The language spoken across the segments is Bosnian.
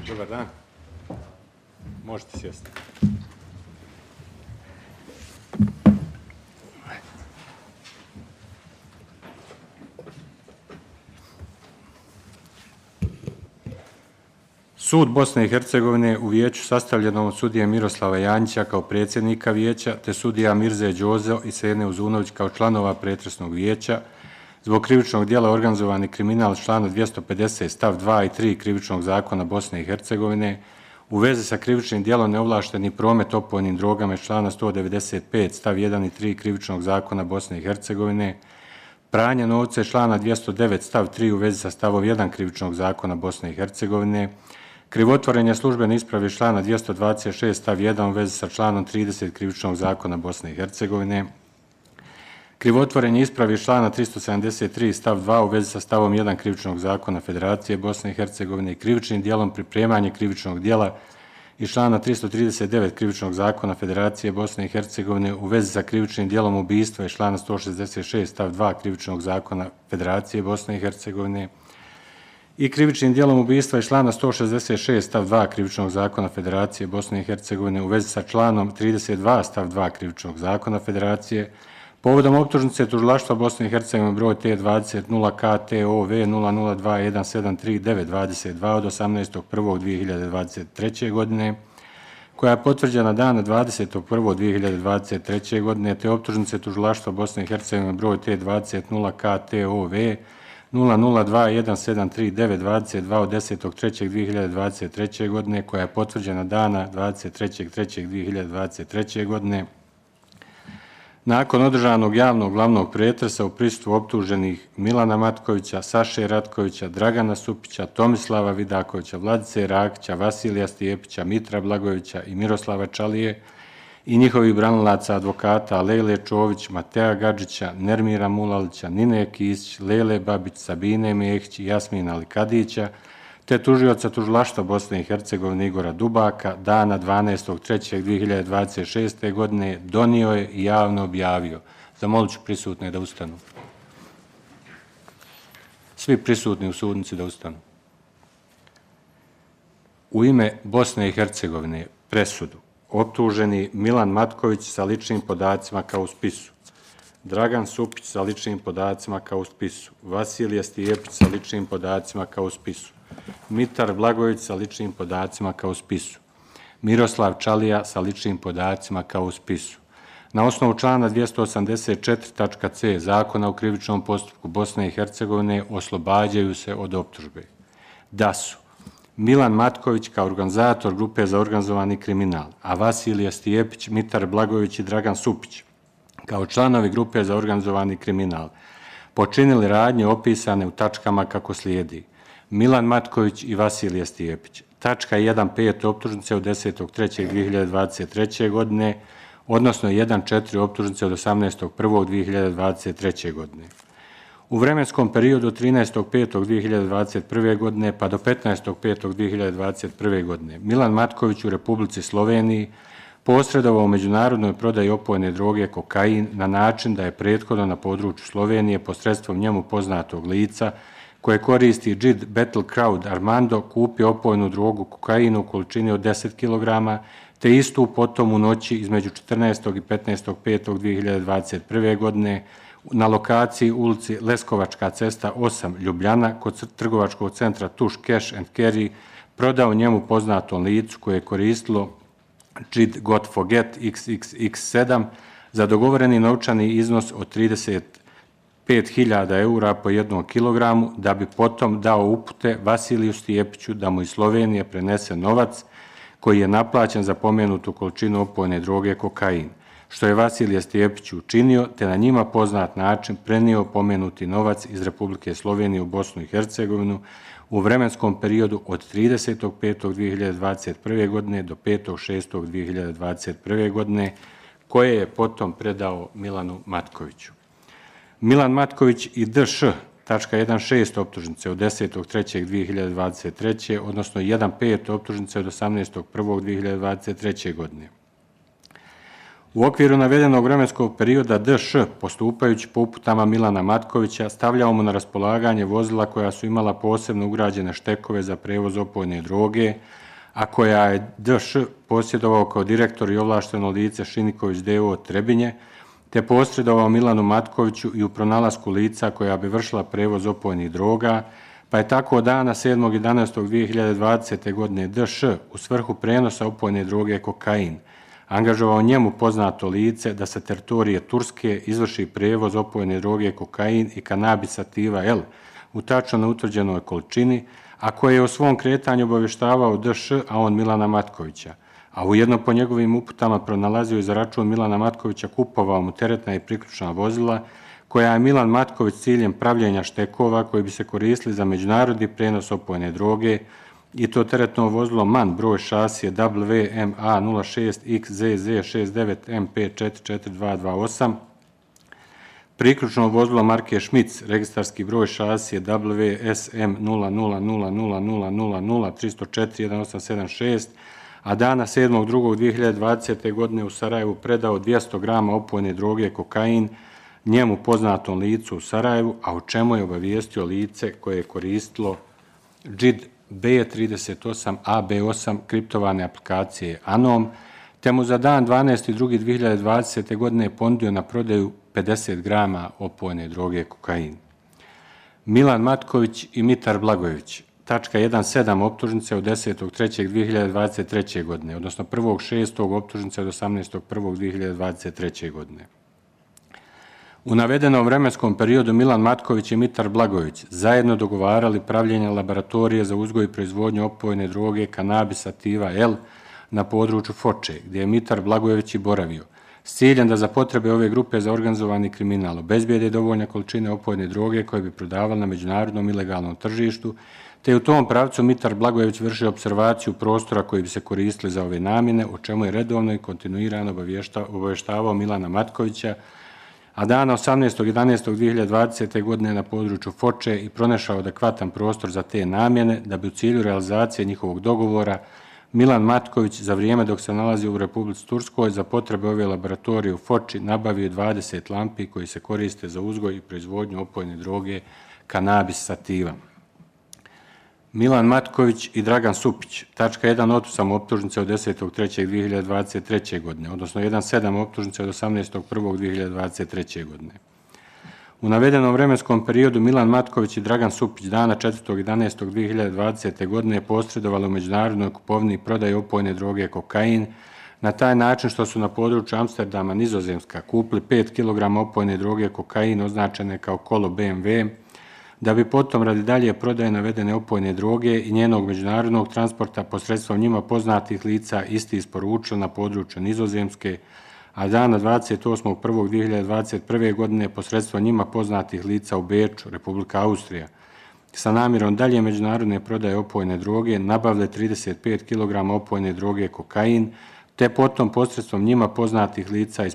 Dobar dan. Možete sjesti. Sud Bosne i Hercegovine u vijeću sastavljeno od sudije Miroslava Janjića kao predsjednika vijeća, te sudija Mirze Đozo i Sene Uzunović kao članova pretresnog vijeća, zbog krivičnog dijela organizovani kriminal člana 250 stav 2 i 3 krivičnog zakona Bosne i Hercegovine, u vezi sa krivičnim dijelom neovlašteni promet opojnim drogama člana 195 stav 1 i 3 krivičnog zakona Bosne i Hercegovine, pranje novca člana 209 stav 3 u vezi sa stavom 1 krivičnog zakona Bosne i Hercegovine, krivotvorenje službene isprave člana 226 stav 1 u vezi sa članom 30 krivičnog zakona Bosne i Hercegovine, krivotvorenje isprave člana 373 stav 2 u vezi sa stavom 1 krivičnog zakona Federacije Bosne i Hercegovine i krivičnim dijelom pripremanje krivičnog dijela iz člana 339 krivičnog zakona Federacije Bosne i Hercegovine u vezi sa krivičnim dijelom ubistva iz člana 166 stav 2 krivičnog zakona Federacije Bosne i Hercegovine i krivičnim dijelom ubistva iz člana 166 stav 2 krivičnog zakona Federacije Bosne i Hercegovine u vezi sa članom 32 stav 2 krivičnog zakona Federacije, povodom optužnice Tužilaštva Bosne i Hercegovine broj T20 0KTOV 002173922 od 18.1.2023. godine, koja je potvrđena dana 20.1.2023. godine, te optužnice Tužilaštva Bosne i Hercegovine broj T20 0KTOV 002173922 od 10.3.2023. godine, koja je potvrđena dana 23.3.2023. godine, nakon održanog javnog glavnog pretresa u prisustvu optuženih Milana Matkovića, Saše Ratkovića, Dragana Supića, Tomislava Vidakovića, Vladice Rakića, Vasilija Stijepića, Mitra Blagojevića i Miroslava Čalije i njihovih branilaca advokata Lejle Čović, Mateja Gadžića, Nermira Mulalića, Nine Kisić, Lele Babić, Sabine Mehić i Jasmina Alikadića, te tužioca Tužilaštva Bosne i Hercegovine Igora Dubaka, dana 12.3.2026. godine donio je i javno objavio. Zamolit ću prisutne da ustanu. Svi prisutni u sudnici da ustanu. U ime Bosne i Hercegovine presudu optuženi Milan Matković sa ličnim podacima kao u spisu, Dragan Supić sa ličnim podacima kao u spisu, Vasilije Stijepić sa ličnim podacima kao u spisu, Mitar Blagojević sa ličnim podacima kao u spisu, Miroslav Čalija sa ličnim podacima kao u spisu. Na osnovu člana 284.c Zakona o krivičnom postupku Bosne i Hercegovine oslobađaju se od optužbe. Da su Milan Matković kao organizator grupe za organizovani kriminal, a Vasilije Stijepić, Mitar Blagojević i Dragan Supić kao članovi grupe za organizovani kriminal počinili radnje opisane u tačkama kako slijedi. Milan Matković i Vasilije Stijepić. Tačka 1.5 optužnice od 10.3.2023. godine, odnosno 1.4 optužnice od 18.1.2023. godine. U vremenskom periodu od 13.5.2021. godine pa do 15.5.2021. godine Milan Matković u Republici Sloveniji posredovao u međunarodnoj prodaji opojne droge kokain na način da je prethodno na području Slovenije posredstvom njemu poznatog lica koje koristi Jid Battlecrowd Armando kupio opojnu drogu kokainu u količini od 10 kg, te istu potom u noći između 14. i 15.5.2021. godine na lokaciji ulici Leskovačka cesta 8 Ljubljana kod trgovačkog centra Tuš Cash and Carry prodao njemu poznatom licu koje je koristilo Jid Got Forget XXX7 za dogovoreni novčani iznos od 35.000 eura po 1 kilogramu, da bi potom dao upute Vasiliju Stijepiću da mu iz Slovenije prenese novac koji je naplaćen za pomenutu količinu opojne droge kokain, što je Vasilije Stijepić učinio, te na njima poznat način prenio pomenuti novac iz Republike Slovenije u Bosnu i Hercegovinu u vremenskom periodu od 30.5.2021. godine do 5.6.2021. godine, koje je potom predao Milanu Matkoviću. Milan Matković i D.Š. tačka 1.6 optužnice od 10.3.2023. odnosno 1.5 optužnice od 18.1.2023. godine. U okviru navedenog vremenskog perioda DŠ, postupajući po uputama Milana Matkovića, stavljao mu na raspolaganje vozila koja su imala posebno ugrađene štekove za prevoz opojne droge, a koja je DŠ posjedovao kao direktor i ovlašteno lice Šiniković D.O. Trebinje, te posredovao Milanu Matkoviću i u pronalasku lica koja bi vršila prevoz opojnih droga, pa je tako dana 7.11.2020. godine DŠ u svrhu prenosa opojne droge kokain angažovao njemu poznato lice da sa teritorije Turske izvrši prevoz opojne droge kokain i kanabis sativa L u tačno utvrđenoj količini, a koje je o svom kretanju obavještavao DŠ, a on Milana Matkovića, a ujedno po njegovim uputama pronalazio i za račun Milana Matkovića kupovao mu teretna i priključna vozila, koja je Milan Matković ciljem pravljenja štekova koji bi se koristili za međunarodni prenos opojne droge, i to teretno vozilo MAN broj šasije WMA06XZZ69MP44228, priključno vozilo marke Šmic, registarski broj šasije WSM00000003041876, a dana 7.2.2020. godine u Sarajevu predao 200 grama opojne droge kokain njemu poznatom licu u Sarajevu, a o čemu je obavijestio lice koje je koristilo JID B38AB8 kriptovane aplikacije Anom, te mu za dan 12.2.2020. godine ponudio na prodaju 50 grama opojne droge kokain. Milan Matković i Mitar Blagojević, tačka 1.7 optužnice od 10.3.2023. godine, odnosno 1.6. optužnice od 18.1.2023. godine. U navedenom vremenskom periodu Milan Matković i Mitar Blagojević zajedno dogovarali pravljenje laboratorije za uzgoj i proizvodnju opojne droge kanabis sativa L na području Foče, gdje je Mitar Blagojević i boravio, s ciljem da za potrebe ove grupe za organizovani kriminal obezbijede dovoljne količine opojne droge koje bi prodavali na međunarodnom ilegalnom tržištu, te u tom pravcu Mitar Blagojević vršio observaciju prostora koji bi se koristili za ove namjene, o čemu je redovno i kontinuirano obavještavao Milana Matkovića, a dana 18.11.2020. godine na području Foče i pronašao adekvatan prostor za te namjene, da bi u cilju realizacije njihovog dogovora Milan Matković za vrijeme dok se nalazi u Republici Turskoj za potrebe ove laboratorije u Foči nabavio 20 lampi koji se koriste za uzgoj i proizvodnju opojne droge kanabis sativa. Milan Matković i Dragan Supić, tačka 1.8 optužnice od 10.3.2023. godine, odnosno 1.7 optužnice od 18.1.2023. godine. U navedenom vremenskom periodu Milan Matković i Dragan Supić dana 4.11.2020. godine posredovali u međunarodnoj kupovini i prodaji opojne droge kokain na taj način što su na području Amsterdama, Nizozemska, kupili 5 kg opojne droge kokain označene kao kolo BMW, da bi potom radi dalje prodaje navedene opojne droge i njenog međunarodnog transporta posredstvom njima poznatih lica isti isporučili na području Nizozemske, a dana 28.1.2021. godine posredstvom njima poznatih lica u Beču, Republika Austrija, sa namjerom dalje međunarodne prodaje opojne droge nabavile 35 kg opojne droge kokain, te potom posredstvom njima poznatih lica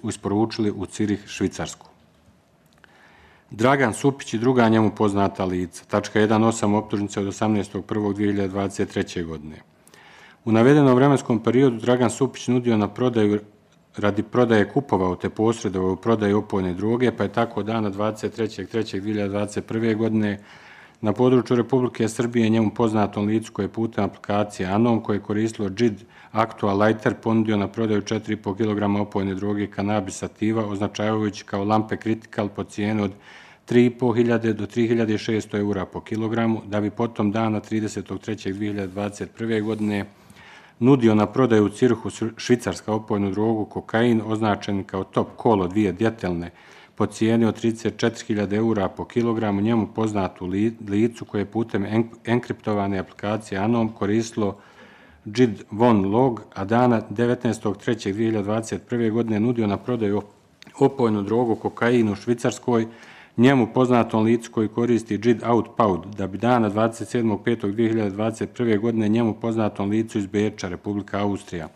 isporučili u Cirih, Švicarsku. Dragan Supić i druga njemu poznata lica, tačka 1.8 optužnice od 18.1.2023. godine. U navedenom vremenskom periodu Dragan Supić nudio na prodaju radi prodaje kupovao te posredovao u prodaju opojne droge, pa je tako dana 23.3.2021. godine na području Republike Srbije njemu poznatom licu koje je putem aplikacije Anom koje je koristilo JID Actua Lighter ponudio na prodaju 4,5 kg opojne droge kanabis sativa označavajući kao lampe Critical po cijenu od 3.500 do 3.600 eura po kilogramu, da bi potom dana 30.3.2021. godine nudio na prodaju u Cirhu, Švicarska opojnu drogu kokain označen kao top kolo dvije djetelne po cijeni od 34.000 eura po kilogramu njemu poznatu licu koje je putem enkriptovane aplikacije Anom koristilo JID Von Log, a dana 19.3.2021. godine nudio na prodaju opojnu drogu kokain u Švicarskoj njemu poznatom licu koji koristi JID Outpound, da bi dana 27.5.2021. godine njemu poznatom licu iz Beča, Republika Austrija,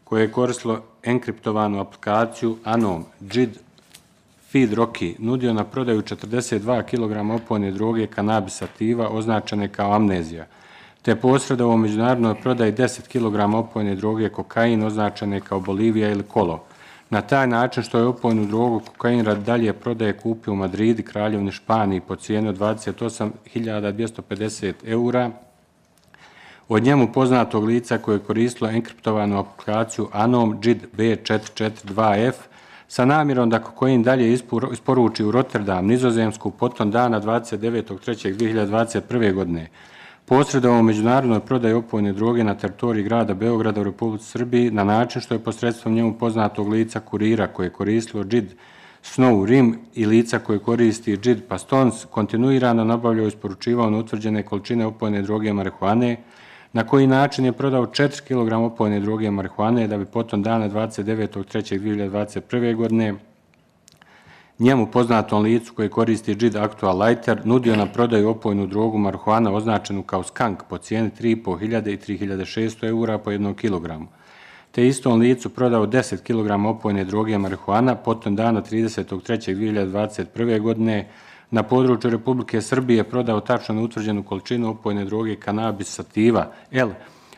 koje je koristilo enkriptovanu aplikaciju Anom, JID Feed Rocky, nudio na prodaju 42 kg opojne droge kanabis sativa označene kao amnezija, te posredovao u međunarodnoj prodaji 10 kg opojne droge kokain označene kao Bolivija ili Kolo, na taj način što je opojnu drogu kokain radi dalje prodaje kupio u Madridi, Kraljevini Španiji po cijeni od 28.250 eura od njemu poznatog lica koje je koristilo enkriptovanu aplikaciju Anom JID B442F sa namjerom da kokain dalje isporuči u Rotterdam, Nizozemsku, potom dana 29.3.2021. godine. Posredovao u međunarodnoj prodaji opojne droge na teritoriji grada Beograda u Republici Srbiji na način što je posredstvom njemu poznatog lica kurira koje je koristilo JID Snow Rim i lica koje koristi JID Pastons kontinuirano nabavljao i isporučivao neutvrđene količine opojne droge marihuane, na koji način je prodao 4 kg opojne droge marihuane da bi potom dana 29.3.2021. godine njemu poznatom licu koji koristi JID Actual Lighter nudio na prodaju opojnu drogu marihuana označenu kao skunk po cijeni 3.500 i 3.600 eura po 1 kilogramu. Te istom licu prodao 10 kg opojne droge marihuana potom dana 30.3.2021. godine na području Republike Srbije prodao tačno neutvrđenu količinu opojne droge kanabis sativa L,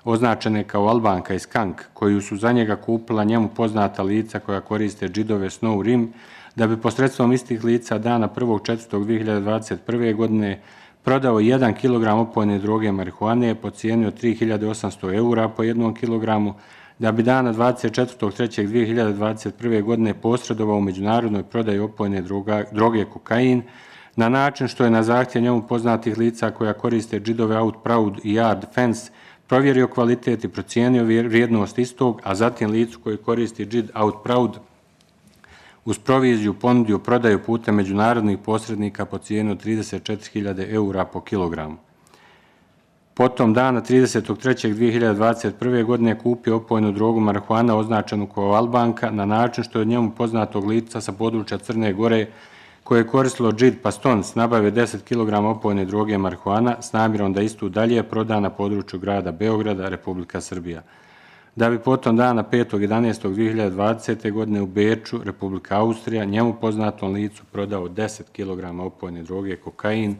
označene kao Albanka i skunk, koju su za njega kupila njemu poznata lica koja koriste JID-ove Snow Rim, da bi posredstvom istih lica dana 1.4.2021. godine prodao 1 kg opojne droge marihuane po cijeni od 3.800 eura po 1 kilogramu, da bi dana 24.3.2021. godine posredovao u međunarodnoj prodaji opojne droge kokain, na način što je na zahtjev njemu poznatih lica koja koriste JID-ove Outproud i Yard Fence provjerio kvalitet i procijenio vrijednost istog, a zatim licu koji koristi JID Outproud uz proviziju ponudio prodaju putem međunarodnih posrednika po cijenu 34.000 eura po kilogramu. Potom dana 30.3.2021. godine kupio opojnu drogu marihuana označenu kao Albanka na način što je od njemu poznatog lica sa područja Crne Gore koje je koristilo JID Pastons nabave 10 kg opojne droge marihuana s namjerom da istu dalje proda na području grada Beograda, Republika Srbija. Da bi potom dana 5.11.2020. godine u Beču, Republika Austrija, njemu poznatom licu prodao 10 kg opojne droge kokain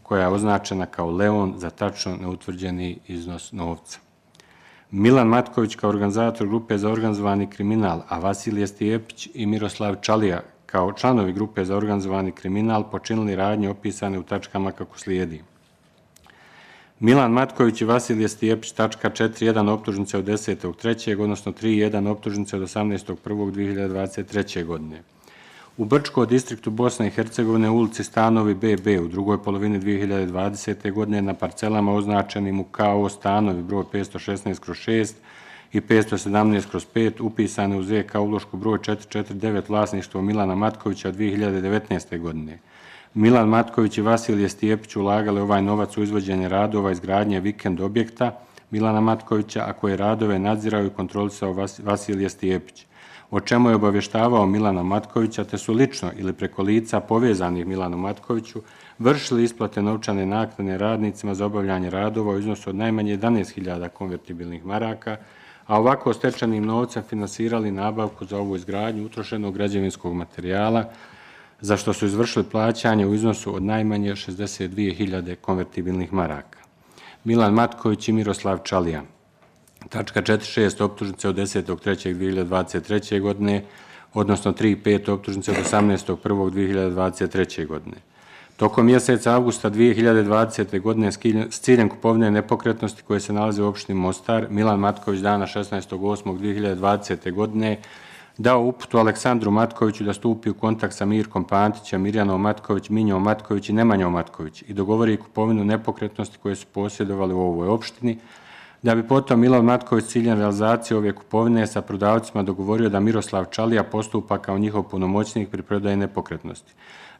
koja je označena kao Leon za tačno neutvrđeni iznos novca. Milan Matković kao organizator grupe za organizovani kriminal, a Vasilije Stijepić i Miroslav Čalija kao članovi grupe za organizovani kriminal počinili radnje opisane u tačkama kako slijedi. Milan Matković i Vasilije Stijepić, tačka 4.1 optužnice od 10.3. odnosno 3.1 optužnice od 18.1.2023. godine. U Brčko, distriktu Bosne i Hercegovine, ulici Stanovi BB u drugoj polovini 2020. godine na parcelama označenim u KO Stanovi broj 516/6 i 517/5 upisane u ZK ulošku broj 449 vlasništvo Milana Matkovića 2019. godine. Milan Matković i Vasilije Stijepić ulagali ovaj novac u izvođenje radova izgradnje vikend objekta Milana Matkovića, a koje radove nadzirao i kontrolisao Vasilije Stijepić, o čemu je obavještavao Milana Matkovića, te su lično ili preko lica povezanih Milanu Matkoviću vršili isplate novčane naknade radnicima za obavljanje radova u iznosu od najmanje 11.000 konvertibilnih maraka, a ovako stečenim novcem finansirali nabavku za ovu izgradnju utrošenog građevinskog materijala, za što su izvršili plaćanje u iznosu od najmanje 62.000 konvertibilnih maraka. Milan Matković i Miroslav Čalija. Tačka 4.6 optužnice od 10.3.2023. godine, odnosno 3.5 optužnice od 18.1.2023. godine. Tokom mjeseca avgusta 2020. godine s ciljem kupovine nepokretnosti koje se nalaze u opštini Mostar, Milan Matković dana 16.8.2020. godine dao uputu Aleksandru Matkoviću da stupi u kontakt sa Mirkom Pantićem, Mirjanom Matković, Minjom Matković i Nemanjom Matković i dogovori kupovinu nepokretnosti koje su posjedovali u ovoj opštini, da bi potom Milan Matković s ciljem realizacije ove kupovine sa prodavcima dogovorio da Miroslav Čalija postupa kao njihov punomoćnik pri prodaji nepokretnosti,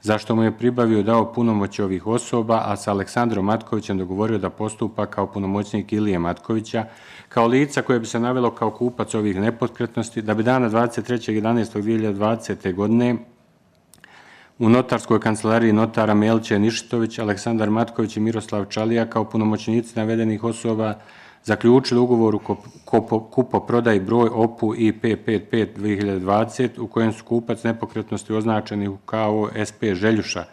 zašto mu je pribavio dao punomoć ovih osoba, a sa Aleksandrom Matkovićem dogovorio da postupa kao punomoćnik Ilije Matkovića, kao lica koje bi se navelo kao kupac ovih nepokretnosti, da bi dana 23.11.2020. godine u notarskoj kancelariji notara Melće Nišitović, Aleksandar Matković i Miroslav Čalija kao punomoćnici navedenih osoba zaključili ugovor u kupoprodaji broj OPU IP55-2020 u kojem su kupac nepokretnosti označeni u KO SP Željuša,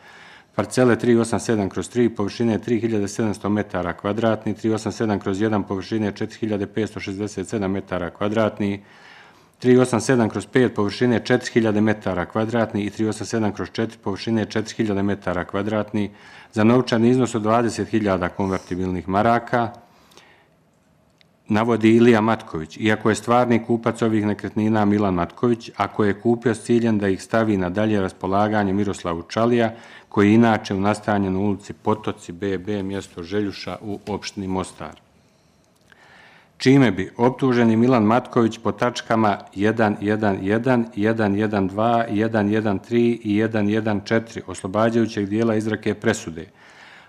parcele 387/3, površine 3700 metara kvadratni, 387/1, površine 4567 metara kvadratni, 387/5 površine 4000 metara kvadratnih i 387/4 površine 4000 metara kvadratnih za novčani iznos od 20.000 konvertibilnih maraka, navodi Ilija Matković, iako je stvarni kupac ovih nekretnina Milan Matković, ako je kupio s ciljem da ih stavi na dalje raspolaganje Miroslavu Čalija, koji je inače u nastanjen u ulici Potoci BB, mjesto Željuša u opštini Mostar. Čime bi optuženi Milan Matković po tačkama 1.1.1, 1.1.2, 1.1.3 i 1.1.4 oslobađajućeg dijela izreke presude,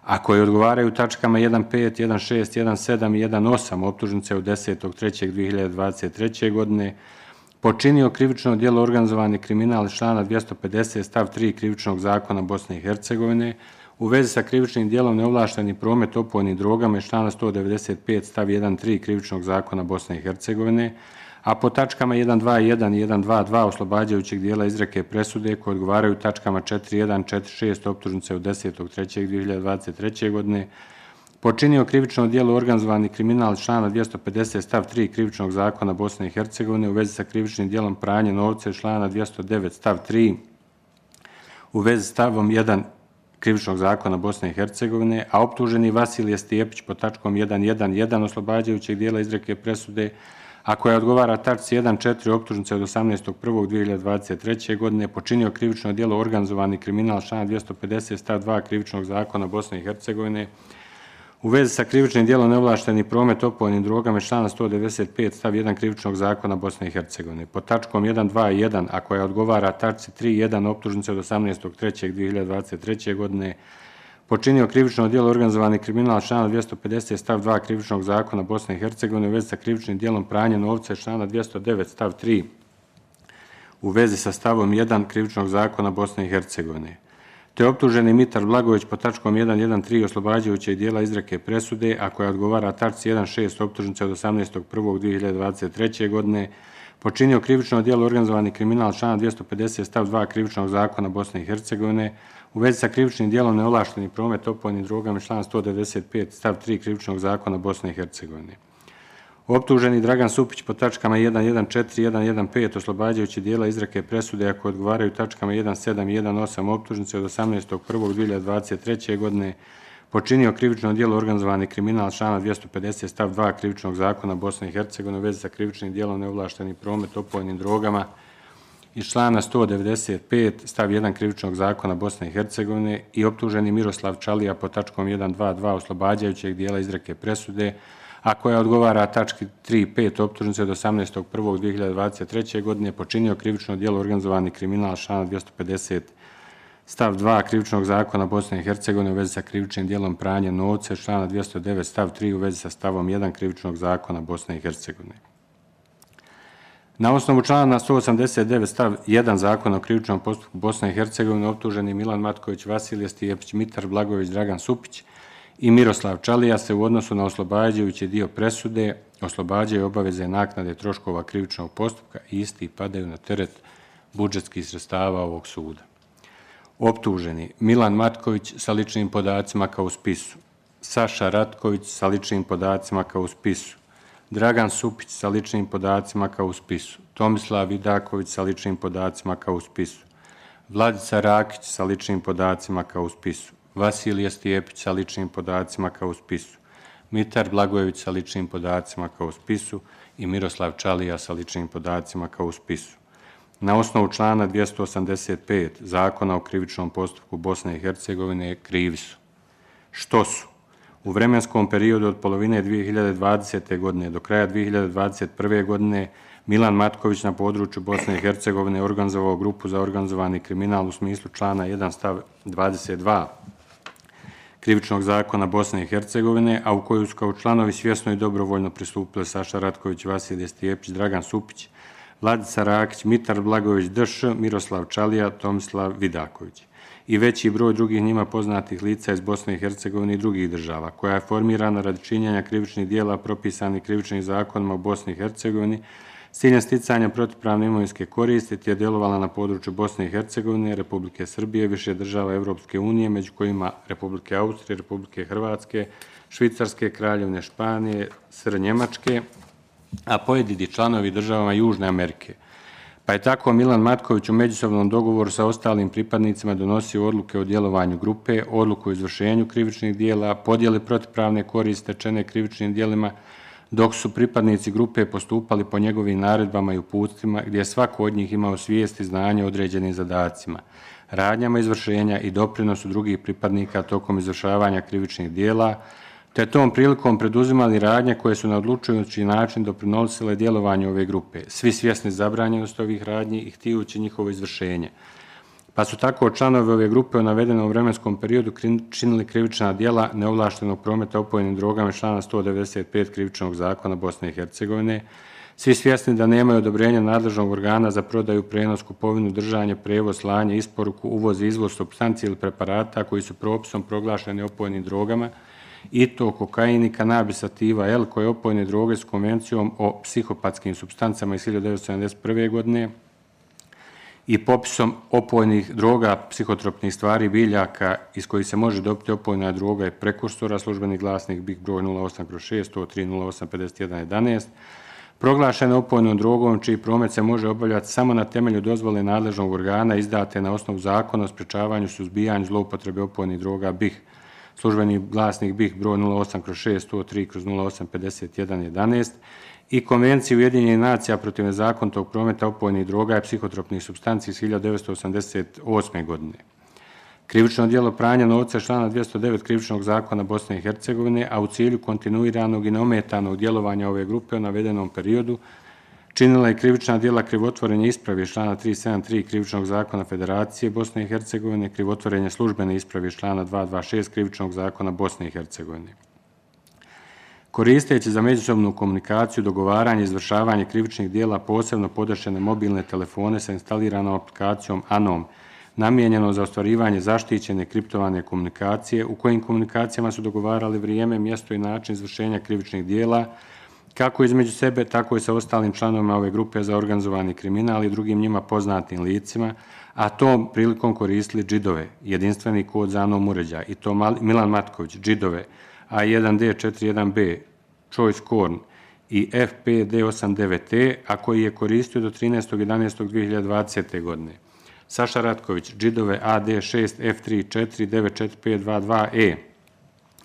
a koje odgovaraju tačkama 1.5, 1.6, 1.7 i 1.8 optužnice od 10.3.2023. godine, počinio krivično djelo organizovani kriminal iz člana 250 stav 3 krivičnog zakona Bosne i Hercegovine u vezi sa krivičnim djelom neovlašteni promet opojnim drogama iz člana 195 stav 1.3 krivičnog zakona Bosne i Hercegovine, a po tačkama 1.2.1 i 1.2.2 oslobađajućeg dijela izreke presude koje odgovaraju tačkama 4.1, 4.6 optužnice od 10.3.2023. godine, počinio krivično djelo organizovani kriminal iz člana 250 stav 3 krivičnog zakona Bosne i Hercegovine u vezi sa krivičnim djelom pranja novca iz člana 209 stav 3 u vezi s stavom 1 krivičnog zakona Bosne i Hercegovine, a optuženi Vasilije Stijepić po tačkom 1.1.1 oslobađajućeg dijela izreke presude, a koja odgovara tačci 1.4 optužnice od 18.1.2023. godine, počinio krivično djelo organizovani kriminal člana 250 stav 2 krivičnog zakona Bosne i Hercegovine u vezi sa krivičnim djelom neovlašteni promet opojnim drogama iz člana 195 stav 1 krivičnog zakona Bosne i Hercegovine. Po tačkom 1.2.1, a koja odgovara tačci 3.1 optužnice od 18.3.2023. godine, počinio krivično djelo organizovani kriminal člana 250 stav 2 krivičnog zakona Bosne i Hercegovine u vezi sa krivičnim djelom pranja novca iz člana 209 stav 3 u vezi sa stavom 1 krivičnog zakona Bosne i Hercegovine. Te optuženi Mitar Blagović po tačkom 1.1.3 oslobađajućeg dijela izreke presude, a koja odgovara tačci 1.6 optužnice od 18.1.2023. godine, počinio krivično djelo organizovani kriminal člana 250 stav 2 krivičnog zakona Bosne i Hercegovine u vezi sa krivičnim djelom neovlašteni promet opojnim drogama člana 195 stav 3 krivičnog zakona Bosne i Hercegovine. Optuženi Dragan Supić po tačkama 1.1.4 i 1.1.5 oslobađajući dijela izreke presude, ako odgovaraju tačkama 1.7 i 1.8 optužnice od 18.1.2023. godine, počinio krivično djelo organizovani kriminal člana 250 stav 2 krivičnog zakona Bosne i Hercegovine u vezi sa krivičnim djelom neovlašteni promet opojnim drogama iz člana 195 stav 1 krivičnog zakona Bosne i Hercegovine i optuženi Miroslav Čalija po tačkom 1.2.2 oslobađajućeg dijela izreke presude, a koja odgovara tački 3.5 optužnice od 18.1.2023. godine, počinio krivično djelo organizovani kriminal člana 250 stav 2 krivičnog zakona Bosne i Hercegovine u vezi sa krivičnim djelom pranja novca iz člana 209 stav 3 u vezi sa stavom 1 krivičnog zakona Bosne i Hercegovine. Na osnovu člana 189 stav 1 zakona o krivičnom postupku Bosne i Hercegovine optuženi Milan Matković, Vasilije Stijepić, Mitar Blagović, Dragan Supić i Miroslav Čalija se u odnosu na oslobađajući dio presude oslobađaju obaveze naknade troškova krivičnog postupka i isti padaju na teret budžetskih sredstava ovog suda. Optuženi Milan Matković sa ličnim podacima kao u spisu, Saša Ratković sa ličnim podacima kao u spisu, Dragan Supić sa ličnim podacima kao u spisu, Tomislav Vidaković sa ličnim podacima kao u spisu, Vladica Rakić sa ličnim podacima kao u spisu, Vasilije Stijepić sa ličnim podacima kao u spisu, Mitar Blagojević sa ličnim podacima kao u spisu i Miroslav Čalija sa ličnim podacima kao u spisu. Na osnovu člana 285 Zakona o krivičnom postupku Bosne i Hercegovine krivi su. Što su? U vremenskom periodu od polovine 2020. godine do kraja 2021. godine Milan Matković na području Bosne i Hercegovine organizovao grupu za organizovani kriminal u smislu člana 1 stav 22 krivičnog zakona Bosne i Hercegovine, a u koju su kao članovi svjesno i dobrovoljno pristupili Saša Ratković, Vasilije Stijepić, Dragan Supić, Vladica Rakić, Mitar Blagović, D.Š., Miroslav Čalija, Tomislav Vidaković i veći broj drugih njima poznatih lica iz Bosne i Hercegovine i drugih država, koja je formirana radi činjenja krivičnih dijela propisanih krivičnim zakonima u Bosni i Hercegovini s ciljem sticanja protivpravne imovinske koristi, te je djelovala na području Bosne i Hercegovine, Republike Srbije, više država Evropske unije, među kojima Republike Austrije, Republike Hrvatske, Švicarske, Kraljevine Španije, SR Njemačke, a pojedini članovi državama Južne Amerike. Pa je tako Milan Matković u međusobnom dogovoru sa ostalim pripadnicima donosio odluke o djelovanju grupe, odluku o izvršenju krivičnih dijela, podjeli protivpravne koristi stečene krivičnim dijelima, dok su pripadnici grupe postupali po njegovim naredbama i uputstvima, gdje je svako od njih imao svijest i znanje o određenim zadacima, radnjama izvršenja i doprinosu drugih pripadnika tokom izvršavanja krivičnih dijela, te tom prilikom preduzimali radnje koje su na odlučujući način doprinosile djelovanju ove grupe, svi svjesni zabranjenosti ovih radnji i htijući njihovo izvršenje. Pa su tako članovi ove grupe u navedenom vremenskom periodu činili krivična djela neovlaštenog prometa opojnim drogama člana 195 krivičnog zakona Bosne i Hercegovine, svi svjesni da nemaju odobrenja nadležnog organa za prodaju, prenos, kupovinu, držanje, prevoz, slanje, isporuku, uvoz i izvoz supstanci ili preparata koji su propisom proglašeni opojnim drogama, i to kokain i kanabis sativa L, koje opojne droge s konvencijom o psihopatskim supstancama iz 1971. godine i popisom opojnih droga, psihotropnih stvari, biljaka iz kojih se može dobiti opojna droga i prekursora, službeni glasnik BiH broj 08/6, 103-08-51-11, proglašene opojnom drogom čiji promet se može obavljati samo na temelju dozvole nadležnog organa izdate na osnovu zakona o sprečavanju, suzbijanju zloupotrebe opojnih droga BiH, službeni glasnik BiH broj 08/6, 103-08-51-11 i Konvenciji Ujedinjenih nacija protiv nezakonitog prometa opojnih droga i psihotropnih supstanci iz 1988. godine. Krivično djelo pranja novca je člana 209 krivičnog zakona Bosne i Hercegovine, a u cilju kontinuiranog i neometanog djelovanja ove grupe u navedenom periodu činila je krivična djela krivotvorenja isprave iz člana 373 krivičnog zakona Federacije Bosne i Hercegovine, krivotvorenje službene isprave iz člana 226 krivičnog zakona Bosne i Hercegovine. Koristeći za međusobnu komunikaciju, dogovaranje i izvršavanje krivičnih djela posebno podešene mobilne telefone sa instaliranom aplikacijom ANOM, namijenjeno za ostvarivanje zaštićene kriptovane komunikacije, u kojim komunikacijama su dogovarali vrijeme, mjesto i način izvršenja krivičnih djela, kako između sebe, tako i sa ostalim članovima ove grupe za organizovani kriminal i drugim njima poznatim licima, a tom prilikom koristili džidove, jedinstveni kod za ANOM uređaj, i to Milan Matković, džidove A1D41B, Choice Corn i FPD89E, a koji je koristio do 13.11.2020. godine. Saša Ratković, džidove AD6F34945222E,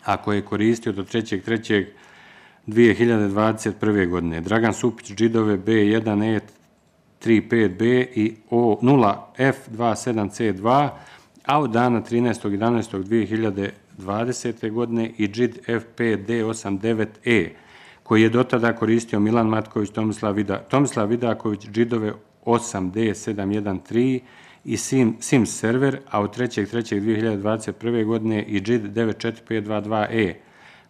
a koji je koristio do 3.3.2021. godine. Dragan Supić, džidove B1E35B i O0F27C2, a od dana 13.11.2020. godine i džid FPD89E, koji je dotada koristio Milan Matković, Tomislav Vidaković, džidove 8D713 i Sims server, a od 3.3.2021. godine i džid 94522E,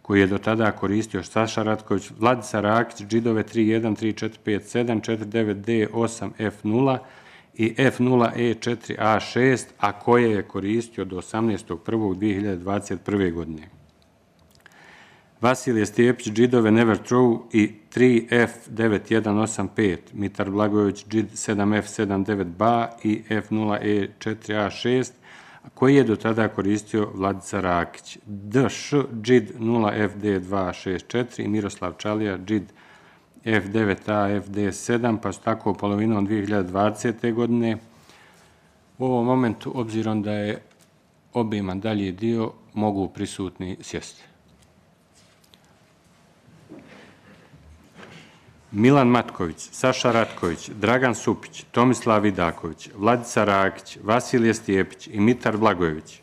koji je do tada koristio Saša Ratković, Vladica Rakić, džidove 31345749D8F0 i F0E4A6, a koje je koristio do 18.1.2021. godine. Vasilije Stijepić, džidove Never True i 3F9185, Mitar Blagojević, džid 7F79BA i F0E4A6, koji je do tada koristio Vladica Rakić, DŠ, džid 0FD264 i Miroslav Čalija, džid F9A, FD7, pa su tako polovinom 2020. godine. U ovom momentu, obzirom da je obiman dalji dio, mogu prisutni sjesti. Milan Matković, Saša Ratković, Dragan Supić, Tomislav Vidaković, Vladica Rakić, Vasilije Stijepić i Mitar Blagojević,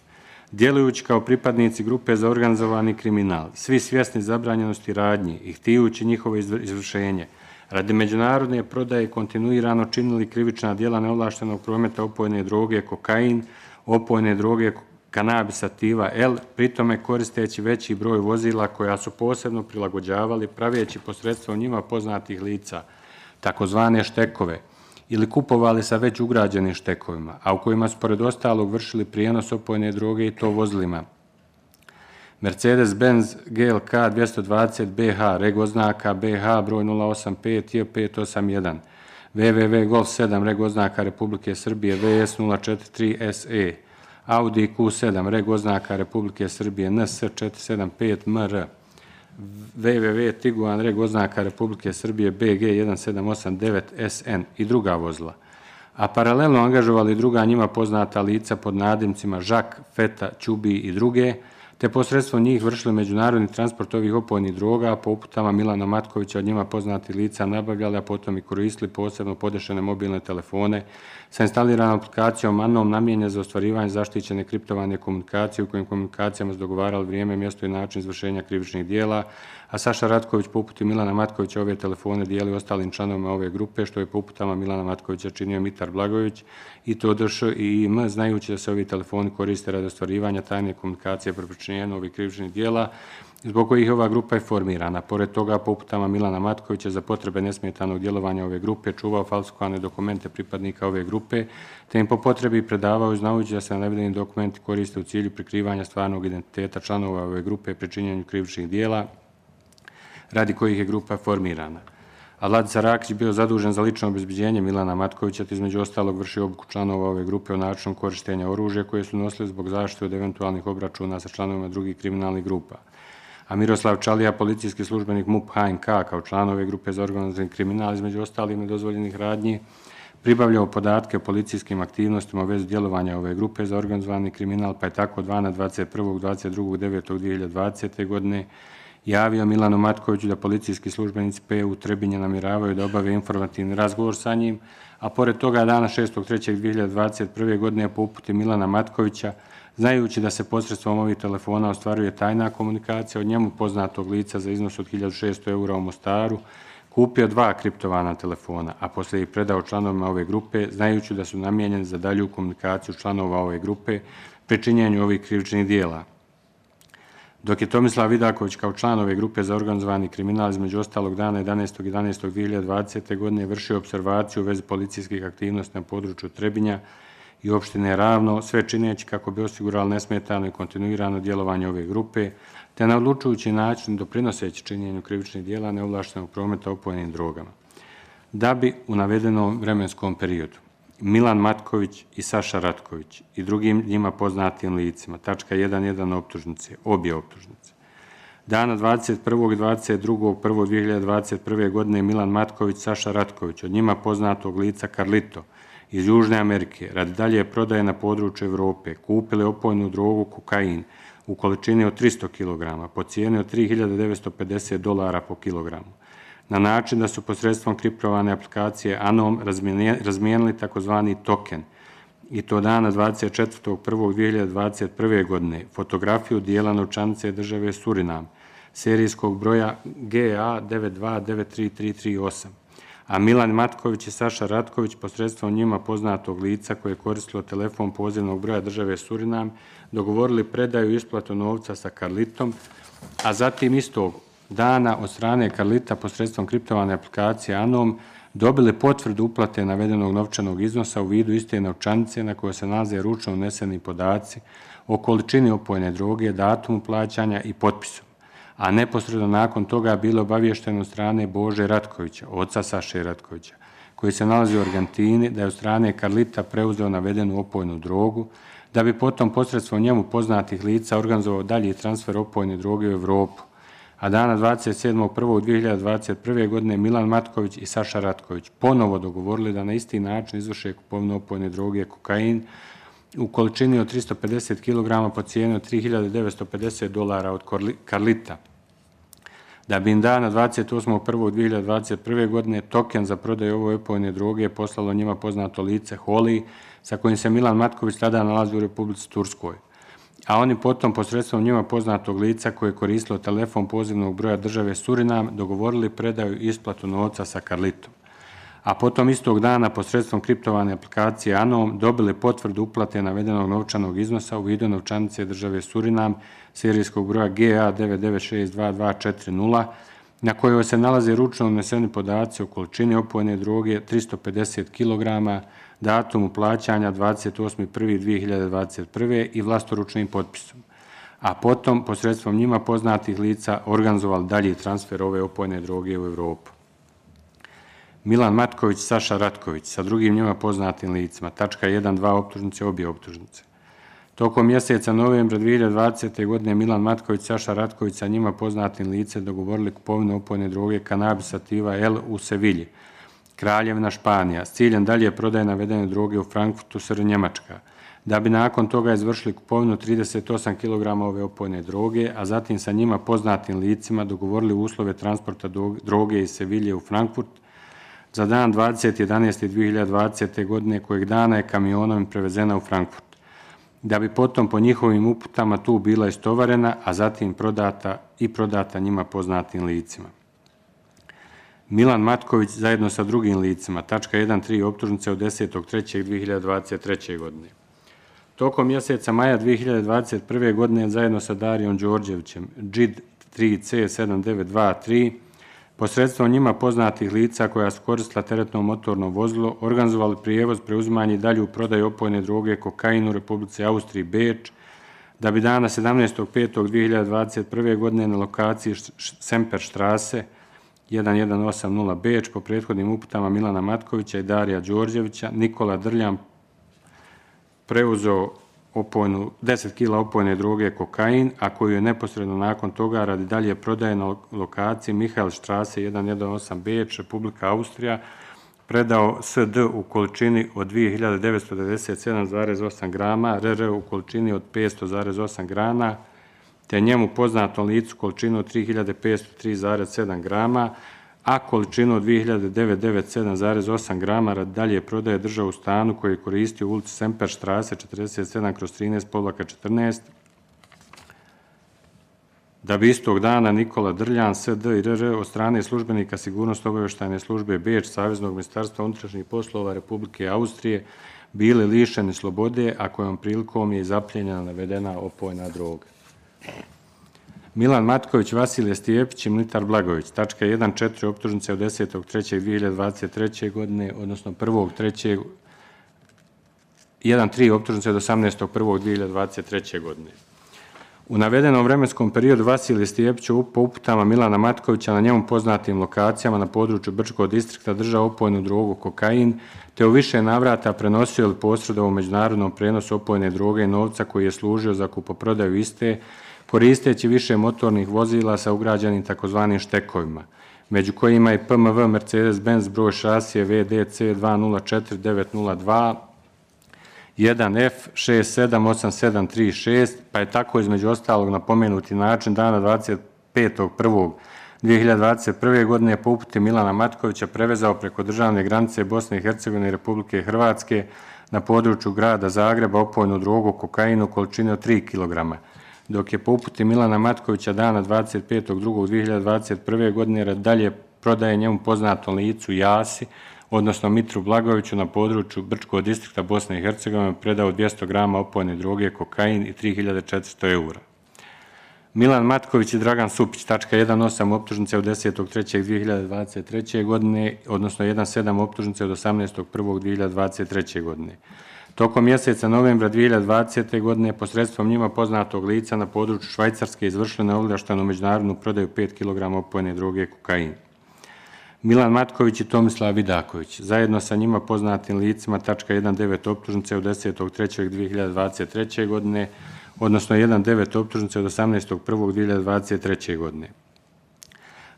djelujući kao pripadnici grupe za organizovani kriminal, svi svjesni zabranjenosti radnji i htijući njihovo izvršenje, radi međunarodne prodaje kontinuirano činili krivična djela neovlaštenog prometa opojne droge kokain, opojne droge kanabis sativa L, pritome koristeći veći broj vozila koja su posebno prilagođavali praveći posredstvom njima poznatih lica, takozvane štekove, ili kupovali sa već ugrađenim štekovima, a u kojima su pored ostalog vršili prijenos opojne droge i to vozilima. Mercedes-Benz GLK 220 BH, reg oznaka BH broj 085 J581, WWW Golf 7, reg oznaka Republike Srbije VS 043 SE, Audi Q7, reg oznaka Republike Srbije NS 475 MR, www Tiguan reg oznaka Republike Srbije BG 1789 SN i druga vozila, a paralelno angažovali druga njima poznata lica pod nadimcima Žak, Feta, Ćubi i druge, te posredstvom njih vršili međunarodni transport ovih opojnih droga, a po uputama Milana Matkovića od njima poznati lica nabavljali, a potom i koristili posebno podešene mobilne telefone sa instaliranom aplikacijom ANOM namijenjene za ostvarivanje zaštićene kriptovane komunikacije u kojim komunikacijama se dogovarali vrijeme, mjesto i način izvršenja krivičnih dijela, a Saša Ratković po uputi Milana Matkovića ove telefone dijeli ostalim članovima ove grupe, što je po uputama Milana Matkovića činio Mitar Blagojević i Todoš i IM, znajući da se ovi telefoni koriste radi ostvarivanja tajne komunikacije pri počinjenju ovih krivičnih dijela, zbog kojih ova grupa je formirana. Pored toga, po uputama Milana Matkovića za potrebe nesmetanog djelovanja ove grupe čuvao falsifikovane dokumente pripadnika ove grupe, te im po potrebi predavao znajući da se navedeni dokumenti koriste u cilju prikrivanja stvarnog identiteta članova ove grupe pri činjenju krivičnih dijela, radi kojih je grupa formirana. A Vladica Rakić bio zadužen za lično obezbeđenje Milana Matkovića, te između ostalog vrši obuku članova ove grupe o načinu korištenja oružja koje su nosili zbog zaštite od eventualnih obračuna sa članovima drugih kriminalnih grupa. A Miroslav Čalija, policijski službenik MUP HNK, kao član ove grupe za organizirani kriminal, između ostalih nedozvoljenih radnji, pribavljao podatke o policijskim aktivnostima u vezi djelovanja ove grupe za organizovani kriminal, pa je tako 22.22.9.2020. godine javio Milanu Matkoviću da policijski službenici PU Trebinje namjeravaju da obave informativni razgovor sa njim, a pored toga dana 6.3.2021. godine po uputi Milana Matkovića, znajući da se posredstvom ovih telefona ostvaruje tajna komunikacija od njemu poznatog lica za iznos od 1600 € u Mostaru, kupio 2 kriptovana telefona, a poslije ih predao članovima ove grupe, znajući da su namijenjeni za dalju komunikaciju članova ove grupe pri činjenju ovih krivičnih dijela. Dok je Tomislav Vidaković kao član ove grupe za organizovani kriminal između ostalog dana 11.11.2020. godine vršio observaciju u vezi policijskih aktivnosti na području Trebinja i opštine Ravno, sve čineći kako bi osigurali nesmetano i kontinuirano djelovanje ove grupe, te na odlučujući način doprinoseći činjenju krivičnih dijela neovlaštenog prometa opojnim drogama. Da bi u navedenom vremenskom periodu Milan Matković i Saša Ratković i drugim njima poznatim licima, tačka 1.1 optužnice, obje optužnice. Dana 21. i 22.1.2021. godine Milan Matković, Saša Ratković, od njima poznatog lica Carlito iz Južne Amerike, radi dalje prodaje na području Evrope, kupili opojnu drogu kokain u količini od 300 kg po cijeni od $3.950 po kilogramu, na način da su posredstvom kriptovane aplikacije ANOM razmijenili takozvani token, i to dana 24.1.2021. godine, fotografiju dijela novčanice države Surinam, serijskog broja GA 9293338, a Milan Matković i Saša Ratković posredstvom njima poznatog lica koje je koristilo telefon pozivnog broja države Surinam dogovorili predaju i isplatu novca sa Carlitom, a zatim istog dana od strane Carlita posredstvom kriptovane aplikacije ANOM dobili potvrdu uplate navedenog novčanog iznosa u vidu iste novčanice na kojoj se nalaze ručno uneseni podaci o količini opojne droge, datumu plaćanja i potpisom, a neposredno nakon toga bilo obavješteno od strane Bože Ratkovića, oca Saše Ratkovića, koji se nalazi u Argentini, da je od strane Carlita preuzeo navedenu opojnu drogu, da bi potom posredstvom njemu poznatih lica organizovao dalji transfer opojne droge u Evropu, a dana 27.1.2021. godine Milan Matković i Saša Ratković ponovo dogovorili da na isti način izvrše kupovinu opojne droge kokain u količini od 350 kg po cijeni od $3.950 od Carlita, da bi im dana 28.1.2021. godine token za prodaju ove opojne droge poslalo njima poznato lice Holi, sa kojim se Milan Matković tada nalazi u Republici Turskoj, a oni potom posredstvom njima poznatog lica koje je koristilo telefon pozivnog broja države Surinam dogovorili predaju i isplatu novca sa Carlitom, a potom istog dana posredstvom kriptovane aplikacije ANOM dobili potvrdu uplate navedenog novčanog iznosa u vidu novčanice države Surinam serijskog broja GA 9962240, na kojoj se nalaze ručno uneseni podaci o količini opojne droge 350 kg, datumu plaćanja 28.1.2021. i vlastoručnim potpisom, a potom posredstvom njima poznatih lica organizovali dalji transfer ove opojne droge u Evropu. Milan Matković, Saša Ratković sa drugim njima poznatim licima, tačka 1.2 optužnice, obje optužnice. Tokom mjeseca novembra 2020. godine Milan Matković, Saša Ratković sa njima poznatim licem dogovorili kupovinu opojne droge Cannabis sativa L u Sevilji, Kraljevina Španija, s ciljem dalje prodaje navedene droge u Frankfurtu, SR Njemačka, da bi nakon toga izvršili kupovinu 38 kg ove opojne droge, a zatim sa njima poznatim licima dogovorili uslove transporta droge iz Sevilje u Frankfurt za dan 20.11.2020. godine, kojeg dana je kamionom prevezena u Frankfurt, da bi potom po njihovim uputama tu bila istovarena, a zatim prodata njima poznatim licima. Milan Matković zajedno sa drugim licima, tačka 1.3 optužnice od 10.3.2023. godine. Tokom mjeseca maja 2021. godine zajedno sa Darijom Đorđevićem, JID 3C7923, posredstvom njima poznatih lica koja su koristila teretno motorno vozilo, organizovali prijevoz, preuzimanje i dalju prodaju opojne droge kokain u Republici Austriji Beč, da bi dana 17.5.2021. godine na lokaciji Semperstrasse 1180 Beč po prethodnim uputama Milana Matkovića i Darija Đorđevića Nikola Drljan preuzeo 10 kg opojne droge kokain, a koju je neposredno nakon toga radi dalje prodaje na lokaciji Michaelstrasse 118 Beč, Republika Austrija, predao SD u količini od 2997,8 grama, RR u količini od 500,8 grana, te njemu poznatom licu količinu od 3503,7 grama, a količinu od 2997,8 grama radi dalje prodaje držao u stanu koji je koristio u ulici Semperstrasse 47/13/14, da bi istog dana Nikola Drljan, SD i RR od strane službenika Sigurnosno-obavještajne službe Beč Saveznog ministarstva unutrašnjih poslova Republike Austrije bili lišeni slobode, a kojom prilikom je zapljenjena navedena opojna droga. Milan Matković, Vasilije Stijepić i Militar Blagović, tačka 1.4 optužnice od 10.3.2023. godine, odnosno 1.3 optužnice od 18.1.2023. godine. U navedenom vremenskom periodu Vasilije Stijepić po uputama Milana Matkovića na njemu poznatim lokacijama na području Brčkog distrikta držao opojnu drogu kokain, te u više navrata prenosio ili posredovao u međunarodnom prenosu opojne droge i novca koji je služio za kupoprodaju iste, koristeći više motornih vozila sa ugrađenim takozvanim štekovima, među kojima je PMV Mercedes-Benz broj šasije VDC 204902 1F 678736, pa je tako između ostalog na pomenuti način dana 25.1.2021. godine po uputi Milana Matkovića prevezao preko državne granice Bosne i Hercegovine i Republike Hrvatske na području grada Zagreba opojnu drogu kokainu u količini od 3 kg, dok je po uputi Milana Matkovića dana 25.2.2021. godine radi dalje prodaje njemu poznatom licu Jasi, odnosno Mitru Blagoviću na području Brčkog distrikta Bosne i Hercegovine predao 200 grama opojne droge kokain i 3.400 eura. Milan Matković i Dragan Supić, tačka 1.8 optužnice od 10.3.2023. godine, odnosno 1.7 optužnice od 18.1.2023. godine. Tokom mjeseca novembra 2020. godine posredstvom njima poznatog lica na području Švajcarske izvršili neovlaštenu međunarodnu prodaju 5 kg opojne droge kokain. Milan Matković i Tomislav Vidaković, zajedno sa njima poznatim licima, tačka 1.9 optužnice od 10.3.2023. godine, odnosno 1.9 optužnice od 18.1.2023. godine.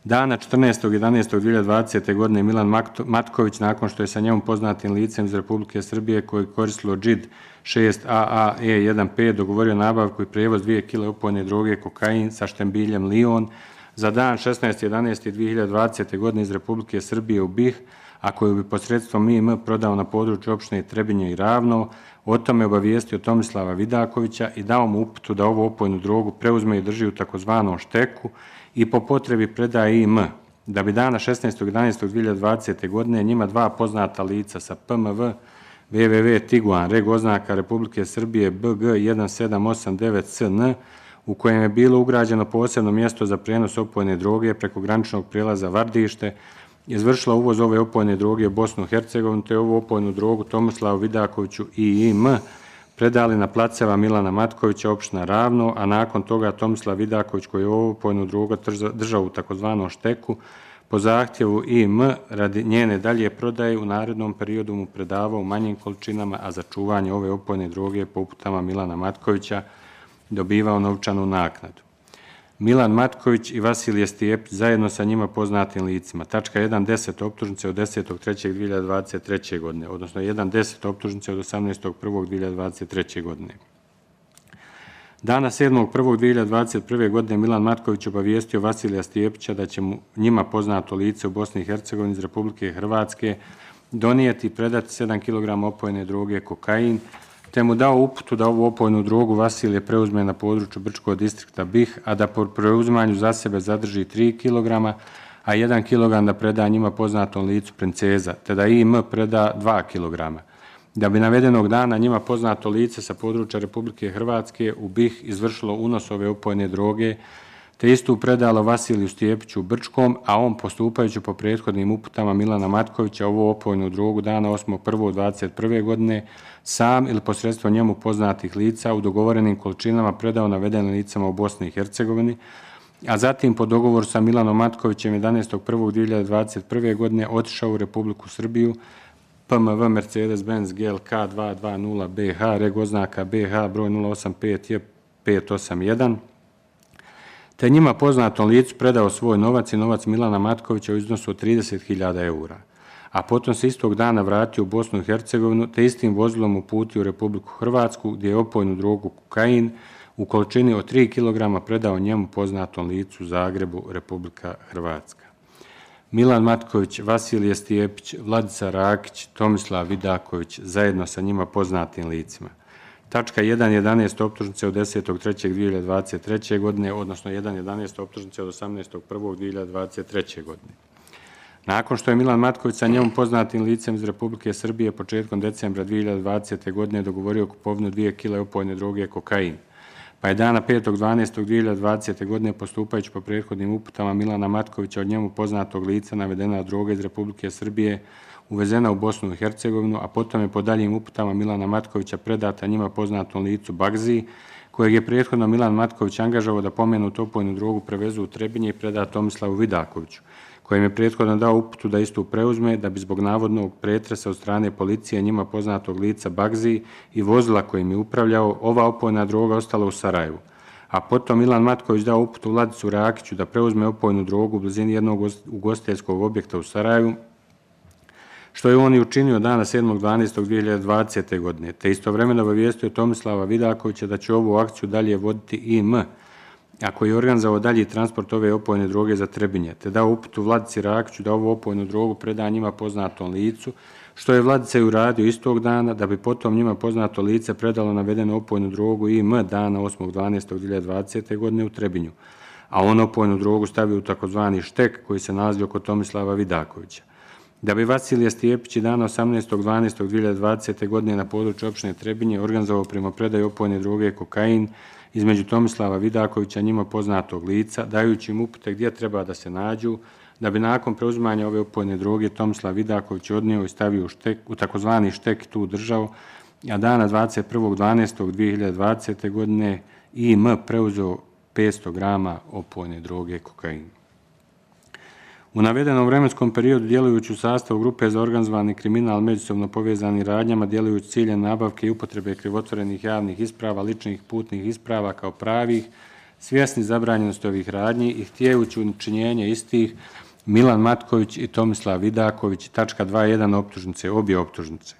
Dana 14.11.2020. godine Milan Matković, nakon što je sa njom poznatim licem iz Republike Srbije koji koristilo JID 6AAE15 dogovorio nabavku i prijevoz 2 kg opojne droge kokain sa štembiljem Lion za dan 16.11.2020. godine iz Republike Srbije u BiH, a koju bi posredstvom MIM prodao na području opštine Trebinje i Ravno, o tome obavijestio Tomislava Vidakovića i dao mu uputu da ovu opojnu drogu preuzme i drži u takozvanom šteku i po potrebi predaje IM, da bi dana 16.11.2020. godine njima dva poznata lica sa PMV www Tiguan reg oznaka Republike Srbije BG 1789CN, u kojem je bilo ugrađeno posebno mjesto za prijenos opojne droge preko graničnog prijelaza Vardište, izvršila uvoz ove opojne droge u Bosnu i Hercegovinu, te ovu opojnu drogu Tomislavu Vidakoviću i IM predali na placeva Milana Matkovića, opština Ravno, a nakon toga Tomislav Vidaković, koji je ovu opojnu drogu držao u takozvanom šteku, po zahtjevu IM radi njene dalje prodaje u narednom periodu mu predavao u manjim količinama, a za čuvanje ove opojne droge po uputama Milana Matkovića dobivao novčanu naknadu. Milan Matković i Vasilije Stijepić zajedno sa njima poznatim licima. Tačka 1.10 optužnice od 10.3.2023. godine, odnosno 1.10 optužnice od 18.1.2023. godine. Dana 7.1.2021. godine Milan Matković obavijestio Vasilija Stijepića da će njima poznato lice u Bosni i Hercegovini iz Republike Hrvatske donijeti i predati 7 kg opojne droge kokain, te mu dao uputu da ovu opojnu drogu Vasilije preuzme na području Brčkog distrikta BiH, a da po preuzimanju za sebe zadrži 3 kg, a 1 kg da preda njima poznatom licu Princeza, te da IM preda 2 kg. Da bi navedenog dana njima poznato lice sa područja Republike Hrvatske u BiH izvršilo unos ove opojne droge, te istu predalo Vasiliju Stijepiću u Brčkom, a on postupajući po prethodnim uputama Milana Matkovića ovu opojnu drogu dana 8.1.2021. godine sam ili posredstvo njemu poznatih lica u dogovorenim količinama predao navedenim licama u Bosni i Hercegovini, a zatim po dogovoru sa Milanom Matkovićem 11.1.2021. godine otišao u Republiku Srbiju, PMV Mercedes-Benz GLK 220 BH, reg oznaka BH broj 085J581, te njima poznatom licu predao svoj novac i novac Milana Matkovića u iznosu od 30.000 eura, a potom se istog dana vratio u Bosnu i Hercegovinu, te istim vozilom uputio u Republiku Hrvatsku, gdje je opojnu drogu kokain u količini od 3 kg predao njemu poznatom licu u Zagrebu, Republika Hrvatska. Milan Matković, Vasilije Stijepić, Vladica Rakić, Tomislav Vidaković, zajedno sa njima poznatim licima. Tačka 1.11 optužnice od 10.3.2023. godine, odnosno 1.11 optužnice od 18.1.2023. godine. Nakon što je Milan Matković sa njemu poznatim licem iz Republike Srbije početkom decembra 2020. godine dogovorio kupovinu 2 kg opojne droge kokain, pa je dana 5.12.2020. godine postupajući po prethodnim uputama Milana Matkovića od njemu poznatog lica navedena droga iz Republike Srbije uvezena u Bosnu i Hercegovinu, a potom je po daljim uputama Milana Matkovića predata njima poznatom licu Bagzi, kojeg je prethodno Milan Matković angažovao da pomenutu opojnu drogu prevezu u Trebinje i preda Tomislavu Vidakoviću, kojem je prethodno dao uputu da istu preuzme, da bi zbog navodnog pretresa od strane policije njima poznatog lica Bagzi i vozila kojim je upravljao, ova opojna droga ostala u Sarajevu. A potom Milan Matković dao uputu Vladicu Rakiću da preuzme opojnu drogu u blizini jednog ugostiteljskog objekta u Sarajevu, što je on i učinio dana 7.12.2020. godine, te istovremeno obavijestio Tomislava Vidakovića da će ovu akciju dalje voditi IM, a koji je organizovao dalji transport ove opojne droge za Trebinje, te dao uputu Vladici Rakiću da ovu opojnu drogu preda njima poznatom licu, što je Vladica i uradio istog dana, da bi potom njima poznato lice predalo navedenu opojnu drogu IM dana 8.12.2020. godine u Trebinju, a on opojnu drogu stavio u takozvani štek koji se nalazio kod Tomislava Vidakovića. Da bi Vasilije Stijepić i dana 18.12.2020. godine na području opštine Trebinje organizovao primopredaju opojne droge kokain između Tomislava Vidakovića njima poznatog lica, dajući im upute gdje treba da se nađu, da bi nakon preuzimanja ove opojne droge Tomislav Vidaković odnio i stavio u takozvani štek tu držao, a dana 21.12.2020. godine IM preuzeo 500 grama opojne droge kokaina. U navedenom vremenskom periodu, djelujući u sastavu grupe za organizovani kriminal međusobno povezani radnjama, djelujući ciljem nabavke i upotrebe krivotvorenih javnih isprava, ličnih putnih isprava kao pravih, svjesni zabranjenosti ovih radnji i htijejući učinjenje istih, Milan Matković i Tomislav Vidaković, tačka 2.1 optužnice, obje optužnice.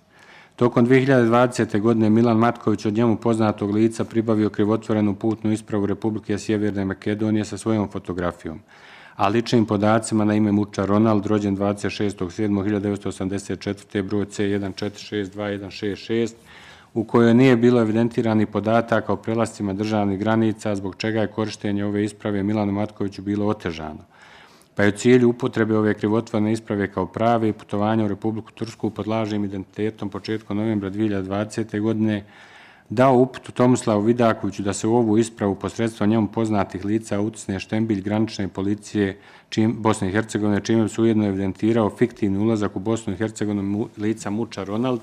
Tokom 2020. godine Milan Matković od njemu poznatog lica pribavio krivotvorenu putnu ispravu Republike Sjeverne Makedonije sa svojom fotografijom, a ličnim podacima na ime Muča Ronald, rođen 26.7.1984. broj C14622166, u kojoj nije bilo evidentirani podataka o prelascima državnih granica, zbog čega je korištenje ove isprave Milanu Matkoviću bilo otežano. Pa je u cilju upotrebe ove krivotvorene isprave kao prave i putovanja u Republiku Tursku pod lažnim identitetom početkom novembra 2020. godine dao uputu Tomislavu Vidakoviću da se u ovu ispravu posredstvom njemu poznatih lica utisne štembilj granične policije Bosne i Hercegovine, čime se ujedno evidentirao fiktivni ulazak u Bosnu i Hercegovinu lica Muča Ronald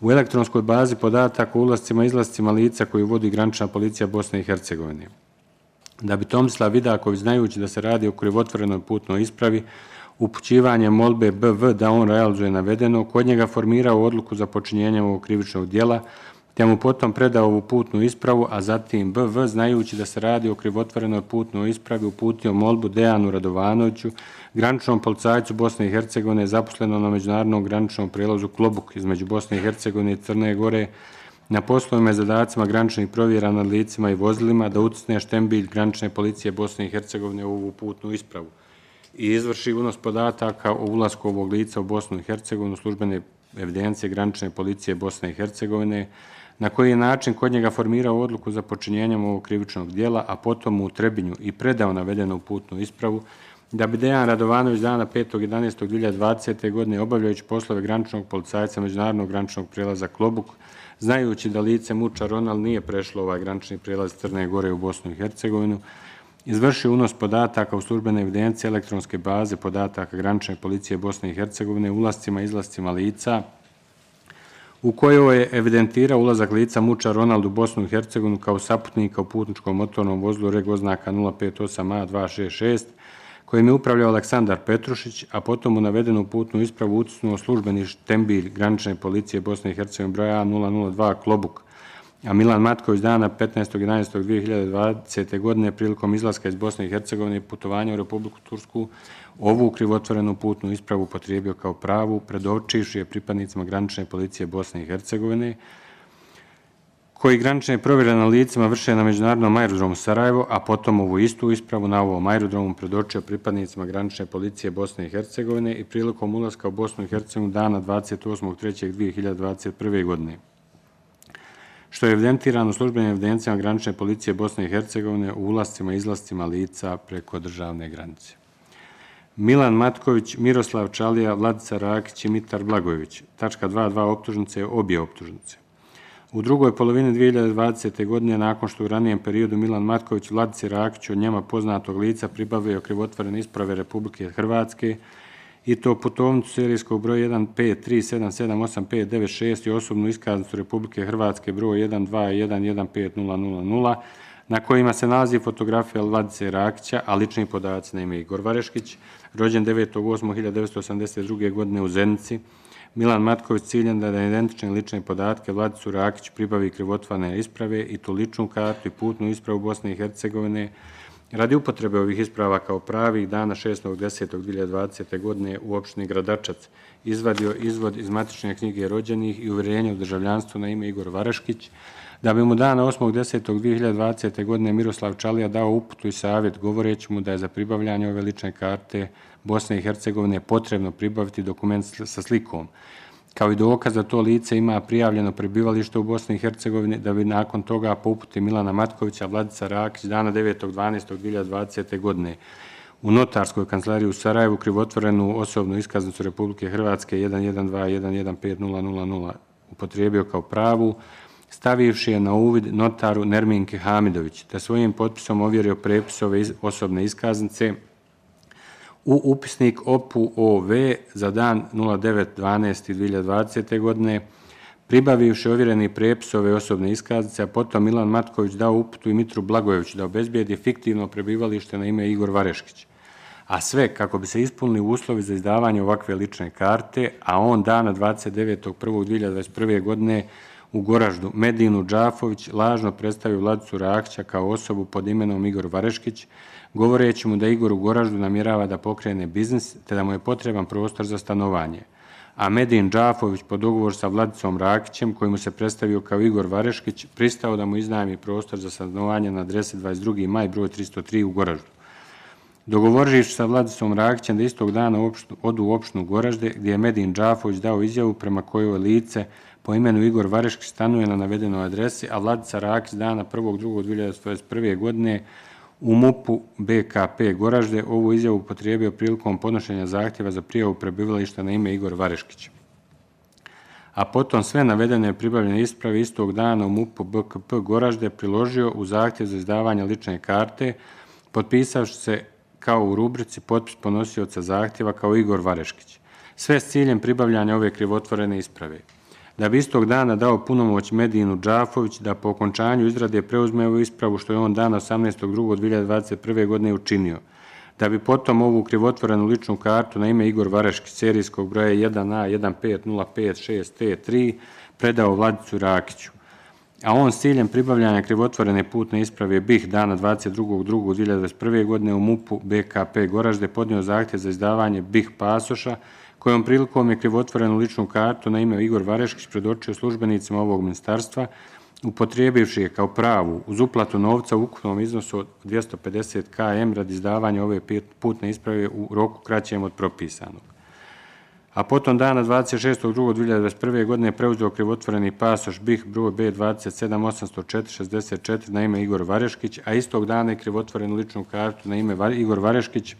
u elektronskoj bazi podataka o ulazcima i izlazcima lica koju vodi granična policija Bosne i Hercegovine. Da bi Tomislav Vidaković, znajući da se radi o krivotvorenoj putnoj ispravi, upućivanje molbe BV da on realizuje navedeno, kod njega formirao odluku za počinjenje ovog krivičnog djela, te mu potom predao ovu putnu ispravu, a zatim BV, znajući da se radi o krivotvorenoj putnoj ispravi, uputio molbu Dejanu Radovanoviću, graničnom policajcu Bosne i Hercegovine, zaposlenom na međunarodnom graničnom prijelazu Klobuk između Bosne i Hercegovine i Crne Gore, na poslovima i zadacima graničnih provjera nad licima i vozilima, da utisne štembilj granične policije Bosne i Hercegovine u ovu putnu ispravu i izvrši unos podataka o ulasku ovog lica u Bosnu i Hercegovinu službene evidencije granične policije Bosne i Hercegovine, na koji je način kod njega formirao odluku za počinjenjem ovog krivičnog djela, a potom mu u Trebinju i predao navedenu putnu ispravu, da bi Dejan Radovanović dana 5.11.2020. godine obavljajući poslove graničnog policajca međunarodnog graničnog prijelaza Klobuk, znajući da lice Muča Ronald nije prešlo ovaj granični prijelaz Crne Gore u Bosnu i Hercegovinu, izvršio unos podataka u službene evidencije elektronske baze podataka granične policije Bosne i Hercegovine u ulascima i izlascima lica, u kojoj je evidentirao ulazak lica Muča Ronald u Bosnu i Hercegovinu kao saputnika u putničkom motornom vozlu reg oznaka 058A266, kojim je upravljao Aleksandar Petrušić, a potom u navedenu putnu ispravu utisnuo službeni štembilj granične policije Bosne i Hercegovine broja A002 Klobuk, a Milan Matković dana 15.11.2020. godine prilikom izlaska iz Bosne i Hercegovine i putovanja u Republiku Tursku ovu krivotvorenu putnu ispravu upotrijebio kao pravu, predočivši je pripadnicima granične policije Bosne i Hercegovine, koji granične provjere na licima vrše na međunarodnom aerodromu Sarajevo, a potom ovu istu ispravu na ovom aerodromu predočio pripadnicima granične policije Bosne i Hercegovine i prilikom ulaska u Bosnu i Hercegovinu dana 28.3.2021. godine, što je evidentirano u službenim evidencijama granične policije Bosne i Hercegovine u ulascima i izlascima lica preko državne granice. Milan Matković, Miroslav Čalija, Vladica Rakić i Mitar Blagojević. Tačka 2.2 optužnice, obje optužnice. U drugoj polovini 2020. godine, nakon što u ranijem periodu Milan Matković Vladici Rakiću od njema poznatog lica pribavio krivotvorene isprave Republike Hrvatske, i to putovnicu serijskog broja 153778596 i osobnu iskaznicu Republike Hrvatske broj 12115000, na kojima se nalazi fotografija Vladice Rakića, a lični podaci na ime Igor Vareškić, rođen 9.8.1982. godine u Zenici. Milan Matković ciljan da identične lične podatke Vladicu Rakić pribavi krivotvorene isprave i tu ličnu kartu i putnu ispravu Bosne i Hercegovine radi upotrebe ovih isprava kao pravih dana 6.10.2020. godine u opštini Gradačac izvadio izvod iz matične knjige rođenih i uvjerenje o državljanstvu na ime Igor Vareškić, da bi mu dana 8.10.2020. godine Miroslav Čalija dao uputu i savjet govoreći mu da je za pribavljanje ove lične karte Bosne i Hercegovine potrebno pribaviti dokument sa slikom, kao i dokaz da to lice ima prijavljeno prebivalište u Bosni i Hercegovini, da bi nakon toga po uputi Milana Matkovića Vladica Rakić dana 9.12.2020. godine u notarskoj kancelariji u Sarajevu krivotvorenu osobnu iskaznicu Republike Hrvatske 1121150000 upotrijebio kao pravu, stavivši je na uvid notaru Nerminke Hamidović, te svojim potpisom ovjerio prepis ove osobne iskaznice u upisnik OPU-OV za dan 09.12.2020. godine, pribavivši ovjereni prepis ove osobne iskaznice, a potom Milan Matković dao uputu i Mitru Blagojeviću da obezbijedi fiktivno prebivalište na ime Igor Vareškić, a sve kako bi se ispunili uslovi za izdavanje ovakve lične karte, a on dana 29.1.2021. godine u Goraždu Medinu Džafović lažno predstavio Vladicu Rakića kao osobu pod imenom Igor Vareškić, govoreći mu da Igor u Goraždu namjerava da pokrene biznis, te da mu je potreban prostor za stanovanje. A Medin Džafović po dogovoru sa Vladicom Rakićem, koji mu se predstavio kao Igor Vareškić, pristao da mu iznajmi prostor za stanovanje na adresi 22. maj broj 303 u Goraždu. Dogovorivši sa Vladicom Rakićem da istog dana odu u opštinu Goražde, gdje je Medin Džafović dao izjavu prema kojoj lice po imenu Igor Vareškić stanuje na navedenoj adresi, a Vladica Rakić dana 1.2.2021. godine u MUP-u BKP Goražde ovu izjavu upotrijebio prilikom podnošenja zahtjeva za prijavu prebivališta na ime Igor Vareškić. A potom sve navedene pribavljene isprave istog dana u MUP-u BKP Goražde priložio u zahtjev za izdavanje lične karte, potpisavši se kao u rubrici potpis podnosioca zahtjeva kao Igor Vareškić. Sve s ciljem pribavljanja ove krivotvorene isprave. Da bi istog dana dao punomoć Medinu Džafović da po okončanju izrade preuzme ovu ispravu, što je on dana 18.2.2021. godine učinio. da bi potom ovu krivotvorenu ličnu kartu na ime Igor Vareškić serijskog broja 1A15056T3 predao Vladicu Rakiću, a on s ciljem pribavljanja krivotvorene putne isprave BiH dana 22.2.2021. godine u MUP-u BKP Goražde podnio zahtjev za izdavanje BiH pasoša, kojom prilikom je krivotvorenu ličnu kartu na ime Igor Vareškić predočio službenicima ovog ministarstva, upotrijebivši je kao pravu uz uplatu novca u ukupnom iznosu od 250 km radi izdavanja ove putne isprave u roku kraćem od propisanog. A potom dana 26.2.2021. godine preuzeo krivotvoreni pasoš BiH broj B2780464 na ime Igor Vareškić, a istog dana je krivotvorenu ličnu kartu na ime Igor Vareškić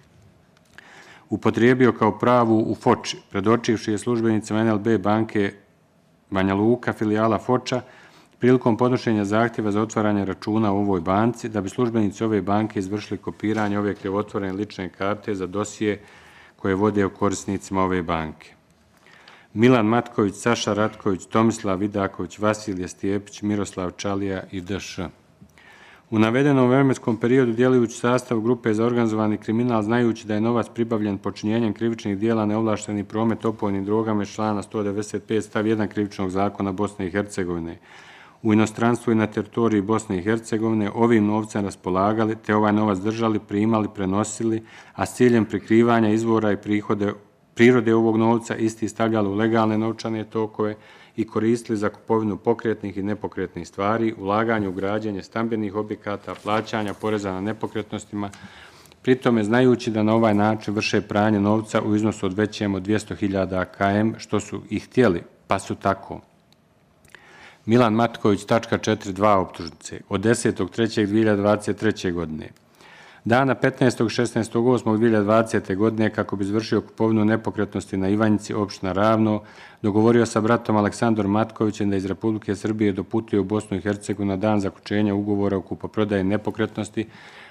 upotrijebio kao pravu u Foči, predočivši je službenicima NLB banke Banja Luka, filijala Foča, prilikom podnošenja zahtjeva za otvaranje računa u ovoj banci, da bi službenici ove banke izvršili kopiranje ove krivotvorene lične karte za dosije koje vode o korisnicima ove banke. Milan Matković, Saša Ratković, Tomislav Vidaković, Vasilije Stijepić, Miroslav Čalija i D.Š. U navedenom vremenskom periodu djelujući sastav grupe za organizovani kriminal, znajući da je novac pribavljen počinjenjem krivičnih dijela neovlašteni promet opojnim drogama iz člana 195 stav 1 krivičnog zakona Bosne i Hercegovine, u inostranstvu i na teritoriji Bosne i Hercegovine ovim novcem raspolagali, te ovaj novac držali, primali, prenosili, a s ciljem prikrivanja izvora i prirode ovog novca isti stavljali u legalne novčane tokove i koristili za kupovinu pokretnih i nepokretnih stvari, ulaganje u građenje stambenih objekata, plaćanja poreza na nepokretnostima, pritome znajući da na ovaj način vrše pranje novca u iznosu od većem od 200.000 km, što su i htjeli, pa su tako. Milan Matković, tačka 4.2 optužnice, od 10.3.2023. godine. Dana 15.16.8.2020. godine, kako bi izvršio kupovinu nepokretnosti na Ivanjici, opština Ravno, dogovorio sa bratom Aleksandrom Matkovićem da iz Republike Srbije doputuje u Bosnu i Hercegovinu na dan zaključenja ugovora o kupoprodaji nepokretnosti,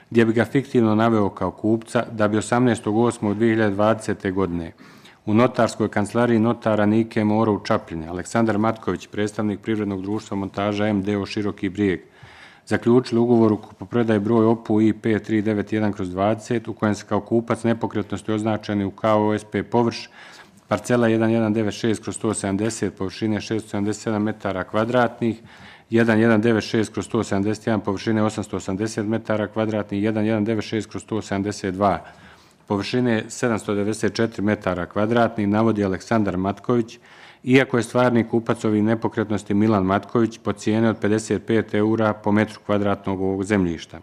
gdje bi ga fiktivno naveo kao kupca, da bi 18.8.2020. godine u notarskoj kancelariji notara Nike Moro u Čapljini Aleksandar Matković, predstavnik privrednog društva Montaža MDO Široki Brijeg, zaključili ugovor o kupoprodaji broj OPU I5391/20 u kojem se kao kupac nepokretnosti označeni u KOSP površ parcela 1196/170 površine 677 metara kvadratnih, 1196/171 površine 880 metara kvadratnih, 1196/172 površine 794 metara kvadratnih, navodi Aleksandar Matković, iako je stvarni kupac ovih nepokretnosti Milan Matković po cijene od 55 eura po metru kvadratnog ovog zemljišta,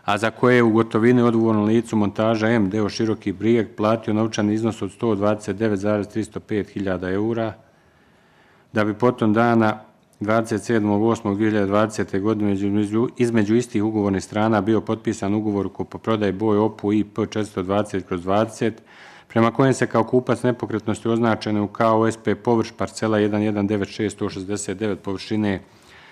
a za koje je u gotovini odgovornom licu Montaža MDO Široki Brijeg platio novčani iznos od 129.305.000 eura, da bi potom dana 27.8.2020. godine između istih ugovornih strana bio potpisan ugovor o kupoprodaji broj OPU IP 420/20, prema kojem se kao kupac nepokretnosti označene u KOSP površ parcela 1196/169 površine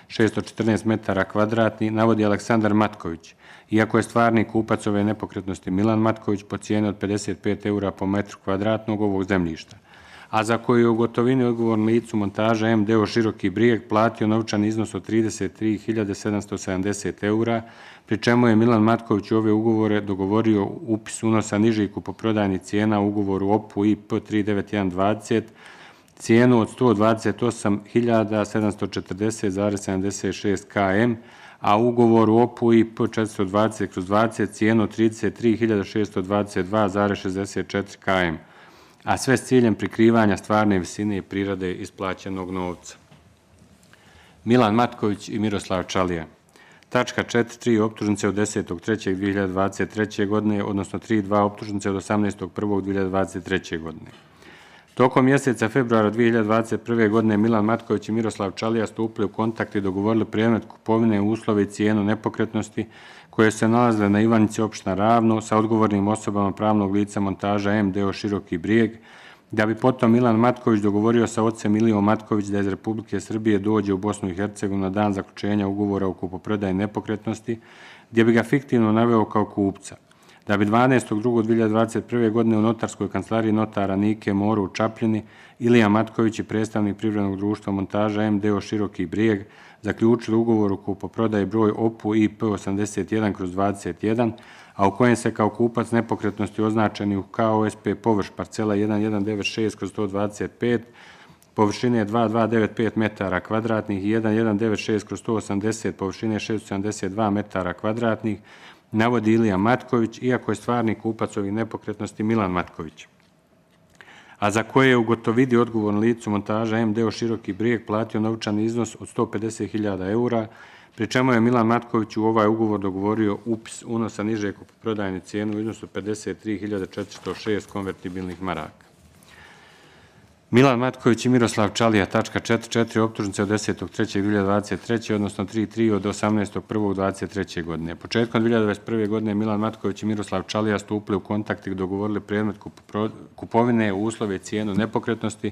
614 metara kvadratnih, navodi Aleksandar Matković, iako je stvarni kupac ove nepokretnosti Milan Matković po cijeni od 55 eura po metru kvadratnog ovog zemljišta, a za koju je u gotovini odgovornom licu Montaža MDO Široki Brijeg platio novčani iznos od 33.770 eura, pri čemu je Milan Matković u ove ugovore dogovorio upis unosa nižih kupoprodajnih cijena u ugovoru OPU IP 39120, cijenu od 128.740,76 km, a u ugovoru OPU IP 420/20 cijenu od 33.622,64 km, a sve s ciljem prikrivanja stvarne visine i prirode isplaćenog novca. Milan Matković i Miroslav Čalija. Tačka 4.3 optužnice od 10.3.2023. godine, odnosno 3.2 optužnice od 18.1.2023. godine. Tokom mjeseca februara 2021. godine Milan Matković i Miroslav Čalija stupili u kontakt i dogovorili predmet kupovine, uslove i cijenu nepokretnosti koje se nalazile na Ivanjici, opština Ravno, sa odgovornim osobama pravnog lica Montaža MDO Široki Brijeg, da bi potom Milan Matković dogovorio sa ocem Ilijom Matković da iz Republike Srbije dođe u Bosnu i Hercegovinu na dan zaključenja ugovora o kupoprodaji nepokretnosti, gdje bi ga fiktivno naveo kao kupca, Da bi 12.2.2021. godine u notarskoj kancelariji notara Nike Moru u Čapljini Ilija Matković i predstavnik privrednog društva Montaža MDO Široki Brijeg zaključili ugovor o kupoprodaji broj OPU IP 81/21, a u kojem se kao kupac nepokretnosti označeni u KOSP površ parcela 1196/125, površine 2295 metara kvadratnih i 1196/180, površine 672 metara kvadratnih, navodi Ilija Matković, iako je stvarni kupac ovih nepokretnosti Milan Matković, a za koje je u gotovidi odgovorno licu Montaža MDO Široki Brijeg platio novčani iznos od 150.000 eura, pri čemu je Milan Matković u ovaj ugovor dogovorio upis unosa niže kupoprodajne cijene u iznosu 53.406 konvertibilnih maraka. Milan Matković i Miroslav Čalija, tačka 4.4. optužnice od 10.3.2023. odnosno 3.3. od 18.1.2023. godine. Početkom 2021. godine Milan Matković i Miroslav Čalija stupili u kontakt i dogovorili predmet kupovine u uslove i cijenu nepokretnosti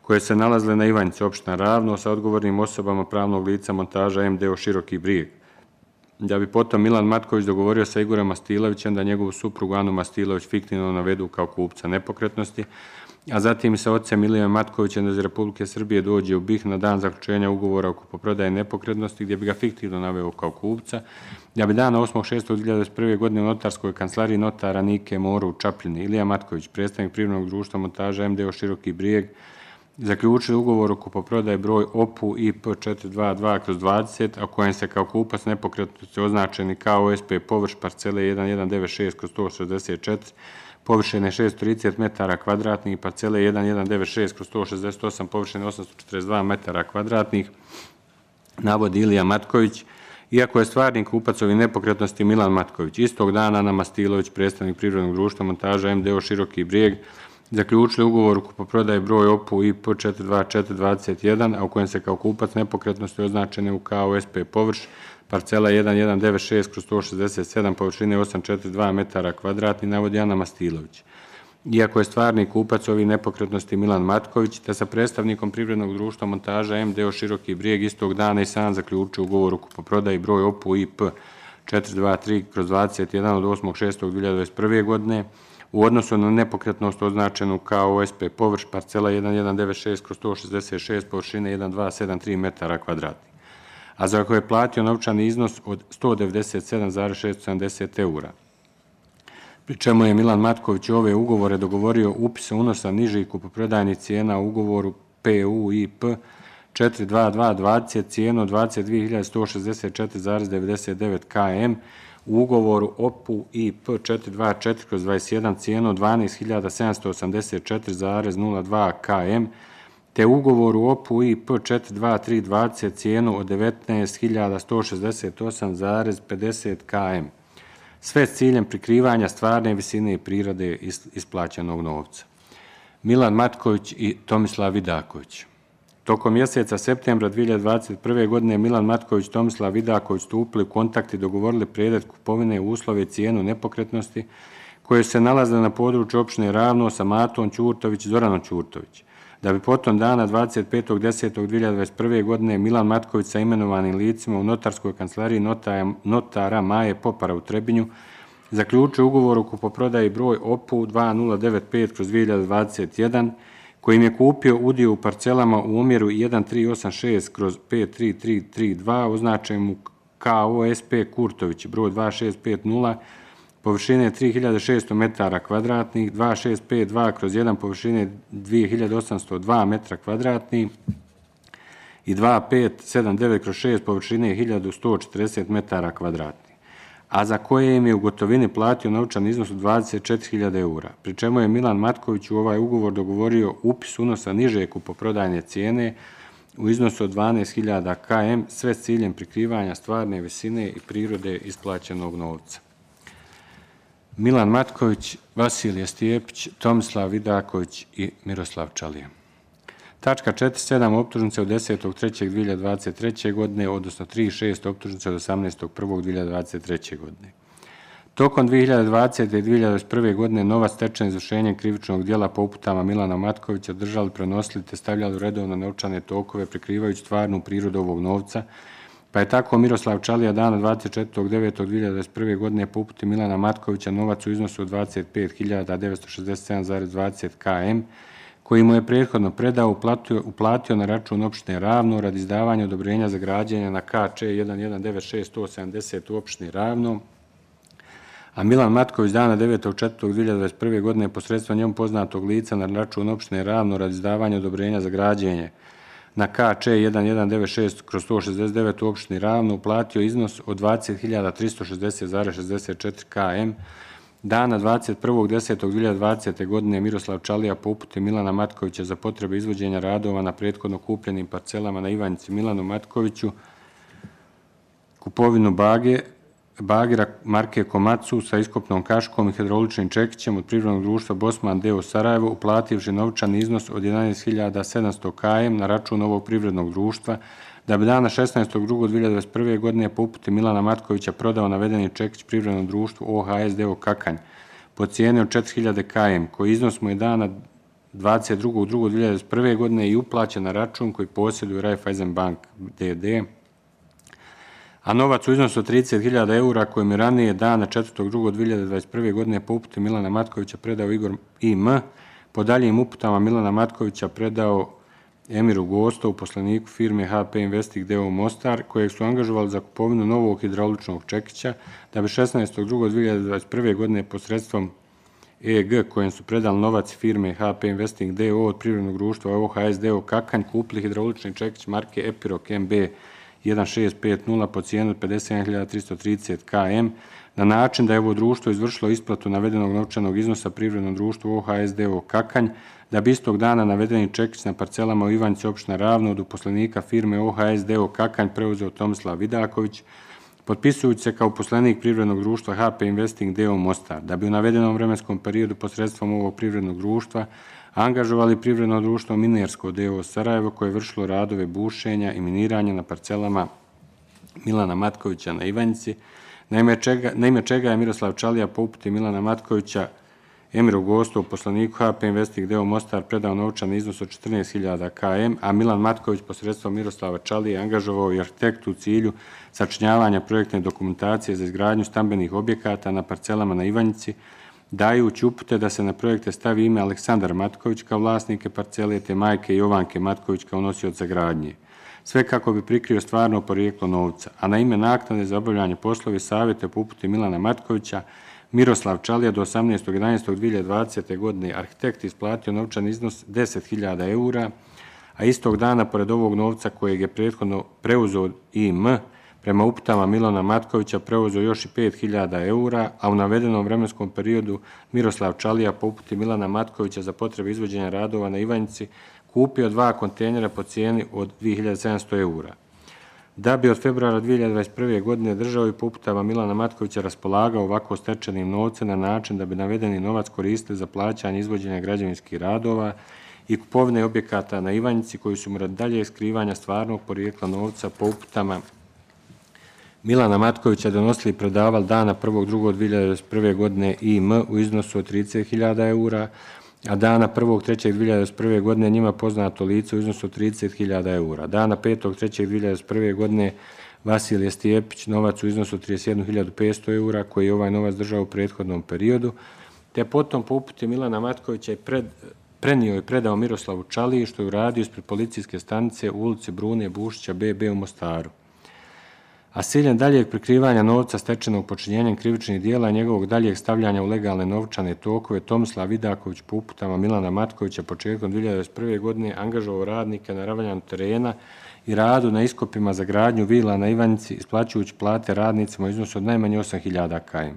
koje se nalazile na Ivanjici, opština Ravno, sa odgovornim osobama pravnog lica Montaža MDO Široki Brijeg. Da bi potom Milan Matković dogovorio sa Igorom Mastilovićem da njegovu suprugu Anu Mastilović fiktivno navedu kao kupca nepokretnosti, a zatim i sa ocem Ilijom Matkovićem da iz Republike Srbije dođe u BiH na dan zaključenja ugovora o kupoprodaji nepokretnosti gdje bi ga fiktivno naveo kao kupca, da bi dana 8.6.2021. godine u notarskoj kancelariji notara Nike Moru u Čapljini Ilija Matković, predstavnik privrednog društva Montaža MDO Široki Brijeg, zaključili ugovor o kupoprodaji broj OPU IP 422/20, a kojem se kao kupac nepokretnosti označeni KOSP površ parcele 1196/164, površine 630 metara kvadratnih, parcele 1196/168, površine 842 metara kvadratnih, navodi Ilija Matković, iako je stvarni kupac ovih nepokretnosti Milan Matković. Istog dana Ana Mastilović, predstavnik privrednog društva Montaža MDO Široki Brijeg, zaključili ugovor o kupoprodaji broj OPU IP 424/21, a u kojem se kao kupac nepokretnosti označene u KOSP površ parcela 1196/167, površine 842 metara kvadratni, navodi Ana Mastilović. Iako je stvarni kupac ovih nepokretnosti Milan Matković, te sa predstavnikom privrednog društva Montaža MDO Široki Brijeg istog dana i sam zaključio ugovor o kupoprodaji broj OPU IP 423/21 od 8.6.2021. godine, u odnosu na nepokretnost označenu kao OSP površ parcela 1196/166, površine 1273 metara kvadratnih, a za koje je platio novčani iznos od 197.670 eura. Pri čemu je Milan Matković ove ugovore dogovorio upis unosa nižih kupoprodajnih cijena u ugovoru PU IP 422/20 cijenu od 22.164,99 km, u ugovoru OPU IP 424/21 cijenu od 12.784,02 km, te ugovoru OPU IP 423/20 cijenu od 19.168,50 km. Sve s ciljem prikrivanja stvarne visine i prirode isplaćenog novca. Milan Matković i Tomislav Vidaković. Tokom mjeseca septembra 2021. godine Milan Matković i Tomislav Vidaković stupili u kontakt i dogovorili predmet kupovine u uslove i cijenu nepokretnosti koje se nalaze na području opštine Ravno sa Matom Ćurtović i Zoranom Ćurtović. Da bi potom dana 25.10.2021. godine Milan Matković sa imenovanim licima u notarskoj kancelariji notara Maje Popara u Trebinju zaključio ugovor o kupoprodaji broj OPU 2095/2021, kojim je kupio udio u parcelama u omjeru 1386/53332 označen KOSP Kurtović broj 2650, površine 3600 metara kvadratnih, 2652/1, površine 2802 metra kvadratnih i 2579/6, površine 1140 metara kvadratnih, a za koje im je u gotovini platio novčan iznos od 24.000 eura, pri čemu je Milan Matković u ovaj ugovor dogovorio upis unosa niže kupoprodajne cijene u iznosu od 12.000 km, sve s ciljem prikrivanja stvarne visine i prirode isplaćenog novca. Milan Matković, Vasilije Stijepić, Tomislav Vidaković i Miroslav Čalija. Tačka 4.7. optužnice od 10.3.2023. godine, odnosno 3.6. optužnice od 18.1.2023. godine. Tokom 2020. i 2021. godine nova stečena izvršenjem krivičnog dijela po uputama Milana Matkovića držali, prenosili te stavljali u redovno novčane tokove prikrivajući stvarnu prirodu ovog novca, Pa je tako Miroslav Čalija dana 24.9.2021. godine po uputi Milana Matkovića novac u iznosu od 25.967,20 km, koji mu je prethodno predao, uplatio na račun opštine Ravno radi izdavanja odobrenja za građenje na KČ 1196170 u opštini Ravno, a Milan Matković dana 9.4.2021. godine posredstvom njemu poznatog lica na račun opštine Ravno radi izdavanja odobrenja za građenje na KČ 1196/169 u opštini Ravno uplatio iznos od 20.360,64 km. Dana 21.10.2020. godine Miroslav Čalija po uputi Milana Matkovića za potrebe izvođenja radova na prethodno kupljenim parcelama na Ivanjici Milanu Matkoviću kupovinu bagera marke Komatsu sa iskopnom kaškom i hidrauličnim čekićem od privrednog društva Bosman d.o. Sarajevo, uplativši novčani iznos od 11.700 km na račun ovog privrednog društva, da bi dana 16.2.2021. godine po uputi Milana Matkovića prodao navedeni čekić privrednom društvu OHS d.o. Kakanj po cijeni od 4.000 km, koji iznos mu je dana 22.2.2021. godine i uplaćen na račun koji posjeduje Raiffeisen Bank d.d., a novac u iznosu od 30.000 eura kojim je ranije dana 4.2.2021. godine po uputi Milana Matkovića predao Igor I.M. po daljim uputama Milana Matkovića predao Emiru Gostovu, poslaniku firme HP Investing d.o. Mostar, kojeg su angažovali za kupovinu novog hidrauličnog čekića, da bi 16.2.2021. godine posredstvom EG kojem su predali novac firme HP Investing d.o. od privrednog društva OHS d.o. Kakanj kupili hidraulični čekić marke Epirok MB 1650 po cijenu od 57.330 km, na način da je ovo društvo izvršilo isplatu navedenog novčanog iznosa privrednom društvu OHS d.o. Kakanj, da bi istog dana navedeni čekić na parcelama u Ivanjici opština Ravno od uposlenika firme OHS d.o. Kakanj preuzeo Tomislav Vidaković, potpisujući se kao uposlenik privrednog društva HP Investing d.o. Mostar, da bi u navedenom vremenskom periodu posredstvom ovog privrednog društva angažovali privredno društvo Minersko d.o. Sarajevo, koje je vršilo radove bušenja i miniranja na parcelama Milana Matkovića na Ivanjici, na ime čega je Miroslav Čalija po uputi Milana Matkovića Emiru Gostovu, poslaniku HP Investing d.o. Mostar, predao novčani iznos od 14.000 km, a Milan Matković posredstvom Miroslava Čalije angažovao i arhitektu u cilju sačinjavanja projektne dokumentacije za izgradnju stambenih objekata na parcelama na Ivanjici, dajući upute da se na projekte stavi ime Aleksandar Matković kao vlasnike parcele te majke Jovanke Matković kao nosioca gradnje. Sve kako bi prikrio stvarno porijeklo novca, a na ime naknade za obavljanje poslova savjeta po uputi Milana Matkovića Miroslav Čalija do 18.11.2020. godine arhitekt isplatio novčan iznos 10.000 eura, a istog dana, pored ovog novca kojeg je prethodno preuzeo IM, prema uputama Milana Matkovića preuzeo još i 5.000 eura, a u navedenom vremenskom periodu Miroslav Čalija po uputi Milana Matkovića za potrebe izvođenja radova na Ivanjici kupio 2 kontejnera po cijeni od 2.700 eura. Da bi od februara 2021. godine držao i po uputama Milana Matkovića raspolagao ovako stečenim novcem na način da bi navedeni novac koristili za plaćanje izvođenja građevinskih radova i kupovine objekata na Ivanjici, koji su mu radi dalje skrivanja stvarnog porijekla novca po uputama Milana Matkovića donosili i predavali dana 1.2.2021. godine IM u iznosu od 30.000 eura, a dana 1.3.2021. godine njima poznato lice u iznosu od 30.000 eura. Dana 5.3.2021. godine Vasilije Stijepić novac u iznosu od 31.500 eura, koji je ovaj novac držao u prethodnom periodu, te potom po uputi Milana Matkovića je prenio i predao Miroslavu Čaliji, što je uradio ispred policijske stanice u ulici Brune Bušića BB u Mostaru. A s ciljem daljeg prikrivanja novca stečenog počinjenjem krivičnih dijela i njegovog daljeg stavljanja u legalne novčane tokove, Tomislav Vidaković po uputama Milana Matkovića početkom 2021. godine angažovao radnike na ravnjanju terena i radu na iskopima za gradnju vila na Ivanjici, isplaćujući plate radnicima u iznosu od najmanje 8.000 km,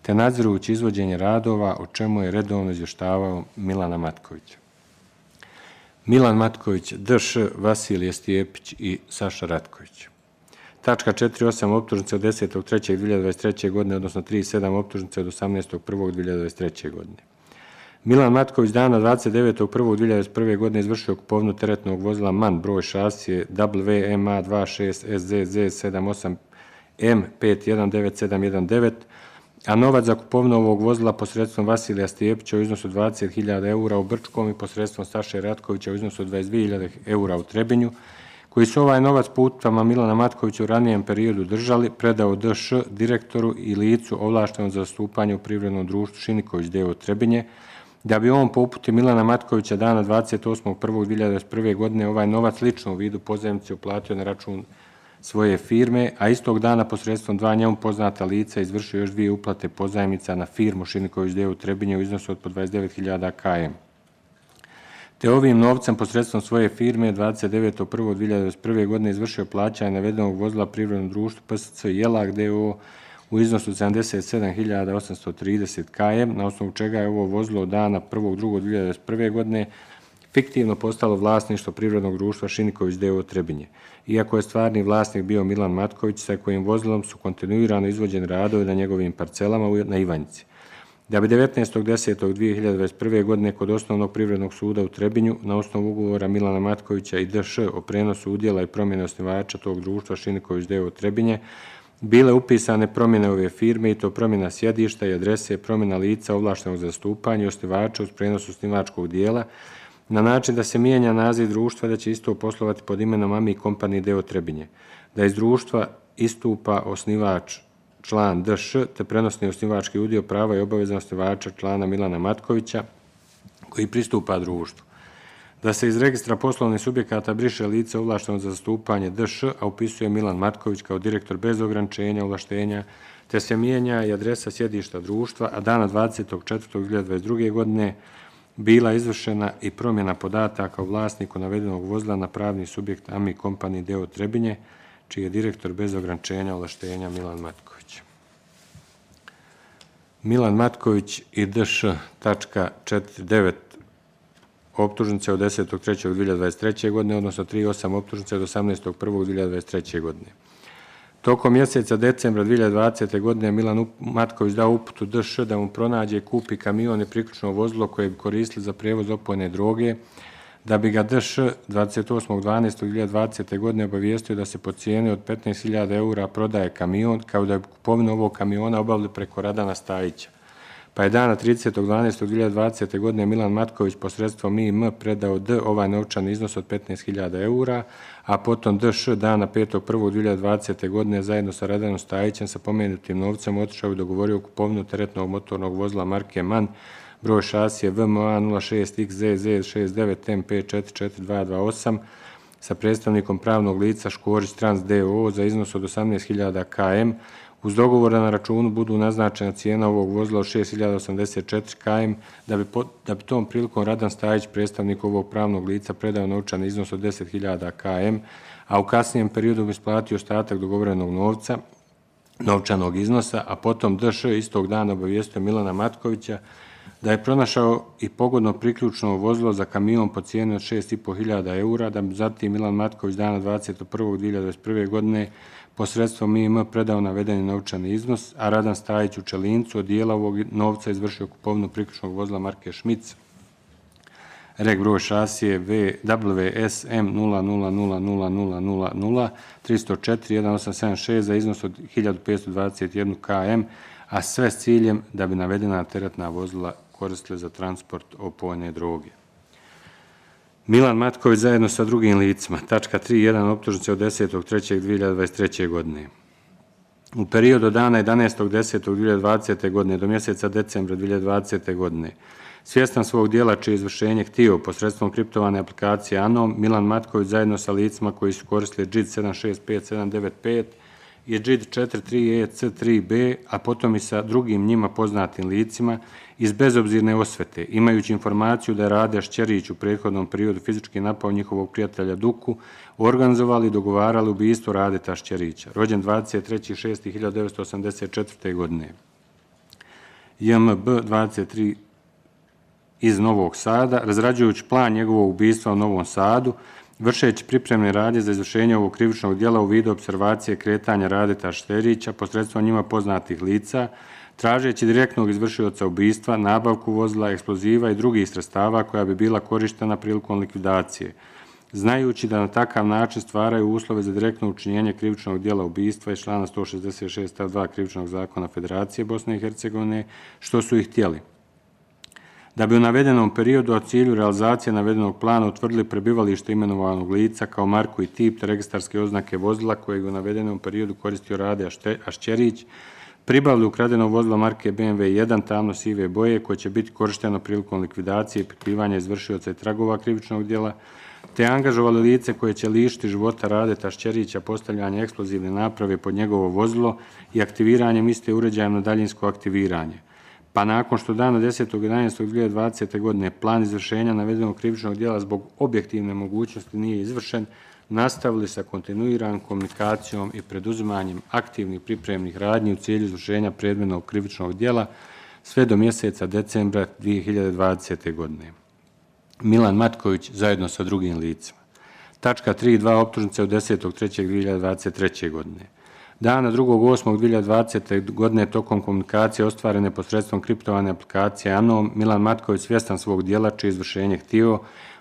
te nadzirujući izvođenje radova, o čemu je redovno izvještavao Milana Matkovića. Milan Matković, D.Š. Vasilije Stijepić i Saša Ratković. Tačka 4.8. optužnice od 10.3.2023. godine, odnosno 3.7. optužnice od 18.1.2023. godine. Milan Matković dana 29.1.2021. godine izvršio kupovinu teretnog vozila MAN broj šasije WMA26SZZ78M51919, a novac za kupovinu ovog vozila posredstvom Vasilija Stijepića u iznosu 20.000 eura u Brčkom i posredstvom Saše Ratkovića u iznosu 22.000 eura u Trebinju, koji su ovaj novac po uputama Milana Matkovića u ranijem periodu držali, predao D.Š. direktoru i licu ovlaštenom za zastupanje u privrednom društvu Šiniković d.o. Trebinje, da bi on po uputi Milana Matkovića dana 28.1.2021. godine ovaj novac lično u vidu pozajmice uplatio na račun svoje firme, a istog dana posredstvom dva njemu poznata lica izvršio još 2 uplate pozajmica na firmu Šiniković d.o. Trebinje u iznosu od po 29.000 km. Te ovim novcem posredstvom svoje firme 29.1.2021. godine izvršio plaćanje navedenog vozila privrednom društvu PSC Jelak d.o. u iznosu 77.830 km, na osnovu čega je ovo vozilo od dana 1.2.2021. godine fiktivno postalo vlasništvo privrednog društva Šiniković d.o. Trebinje. Iako je stvarni vlasnik bio Milan Matković, sa kojim vozilom su kontinuirano izvođeni radovi na njegovim parcelama na Ivanjici. Da bi 19.10.2021. godine kod Osnovnog privrednog suda u Trebinju na osnovu ugovora Milana Matkovića i D.Š. o prenosu udjela i promjene osnivača tog društva Šiniković d.o. Trebinje bile upisane promjene ove firme i to promjena sjedišta i adrese, promjena lica ovlaštenog za zastupanje i osnivača uz prenos osnivačkog dijela na način da se mijenja naziv društva da će isto poslovati pod imenom AMI Company d.o. Trebinje, da iz društva istupa osnivač član D.Š. te prenosni osnivački udio prava i obaveza osnivača člana Milana Matkovića koji pristupa društvu. Da se iz registra poslovnih subjekata briše lice ovlašteno za zastupanje D.Š., a upisuje Milan Matković kao direktor bez ograničenja ovlaštenja, te se mijenja i adresa sjedišta društva, a dana 20.4.2022. godine bila izvršena i promjena podataka o vlasniku navedenog vozila na pravni subjekt AMI Company d.o. Trebinje, čiji je direktor bez ograničenja ovlaštenja Milan Matković. Milan Matković i D.Š.49 optužnice od 10.3.2023. godine, odnosno 3.8 optužnice od 18.1.2023. godine. Tokom mjeseca decembra 2020. godine Milan Matković dao uputu D.Š. da mu pronađe i kupi kamion i priključno vozilo koje bi koristili za prevoz opojne droge, da bi ga D.Š. 28.12.2020. godine obavijestio da se po cijeni od 15.000 eura prodaje kamion, kao da bi kupovinu ovog kamiona obavili preko Radana Stajića. Pa je dana 30.12.2020. godine Milan Matković posredstvom IM predao D. ovaj novčani iznos od 15.000 eura, a potom D.Š. dana 5.1.2020. godine zajedno sa Radanom Stajićem sa pomenutim novcem otišao i dogovorio kupovinu teretnog motornog vozila marke MAN, broj šasije VMA 06XZZ69MP44228 sa predstavnikom pravnog lica Škorić Trans d.o. za iznos od 18.000 km, uz dogovor da na računu budu naznačena cijena ovog vozila od 6.084 km, da bi tom prilikom Radan Stajić, predstavnik ovog pravnog lica, predao novčani iznos od 10.000 km, a u kasnijem periodu bi isplatio ostatak dogovorenog novčanog iznosa, a potom D.Š. istog dana obavijestio Milana Matkovića da je pronašao i pogodno priključno vozilo za kamion po cijeni od 6.500 eura, da bi zatim Milan Matković dana 21.2021. godine posredstvom IM predao navedeni novčani iznos, a Radan Stajić u Čelincu od dijela ovog novca izvršio kupovinu priključnog vozila marke Šmic, reg broj šasije WSM 000000 304 1876 za iznos od 1.521 km, a sve s ciljem da bi navedena teretna vozila koristile za transport opojne droge. Milan Matković zajedno sa drugim licima, tačka 3.1 optužnice od 10.3.2023. godine. U periodu od dana 11.10.2020. godine do mjeseca decembra 2020. godine, svjestan svog dijela čije izvršenje htio posredstvom kriptovane aplikacije ANOM, Milan Matković zajedno sa licima koji su koristili JIT 765795 i JIT 43EC3B, a potom i sa drugim njima poznatim licima, iz bezobzirne osvete, imajući informaciju da je Rade Šćerić u prethodnom periodu fizički napao njihovog prijatelja Duku, organizovali i dogovarali ubistvo Radeta Šćerića, rođen 23.6.1984. godine. JMB 23 iz Novog Sada, razrađujući plan njegovog ubistva u Novom Sadu, vršeći pripremne radnje za izvršenje ovog krivičnog djela u vidu observacije kretanja Radeta Šćerića posredstvom njima poznatih lica, tražeći direktnog izvršioca ubistva, nabavku vozila, eksploziva i drugih sredstava koja bi bila korištena prilikom likvidacije, znajući da na takav način stvaraju uslove za direktno učinjenje krivičnog djela ubistva iz člana 166 stav 2 krivičnog zakona Federacije Bosne i Hercegovine, što su ih htjeli. da bi u navedenom periodu u cilju realizacije navedenog plana utvrdili prebivalište imenovanog lica kao marku i tip te registarske oznake vozila kojeg u navedenom periodu koristio Rade Ašćerić, pribavili ukradeno vozilo marke BMW 1 tamno sive boje koje će biti korišteno prilikom likvidacije i prikrivanja izvršioca i tragova krivičnog djela, te angažovali lice koje će lišiti života Radeta Ašćerića postavljanje eksplozivne naprave pod njegovo vozilo i aktiviranjem iste uređajem na daljinsko aktiviranje. Pa nakon što dana 10.11.2020. godine plan izvršenja navedenog krivičnog djela zbog objektivne mogućnosti nije izvršen, nastavili sa kontinuiranom komunikacijom i preduzimanjem aktivnih pripremnih radnji u cilju izvršenja predmetnog krivičnog djela sve do mjeseca decembra 2020. godine. Milan Matković zajedno sa drugim licima. Tačka 3.2. optužnice od 10.3.2023. godine. Dana 2.8.2020. godine tokom komunikacije ostvarene posredstvom kriptovane aplikacije Anom, Milan Matković svjestan svog djela čije izvršenje htio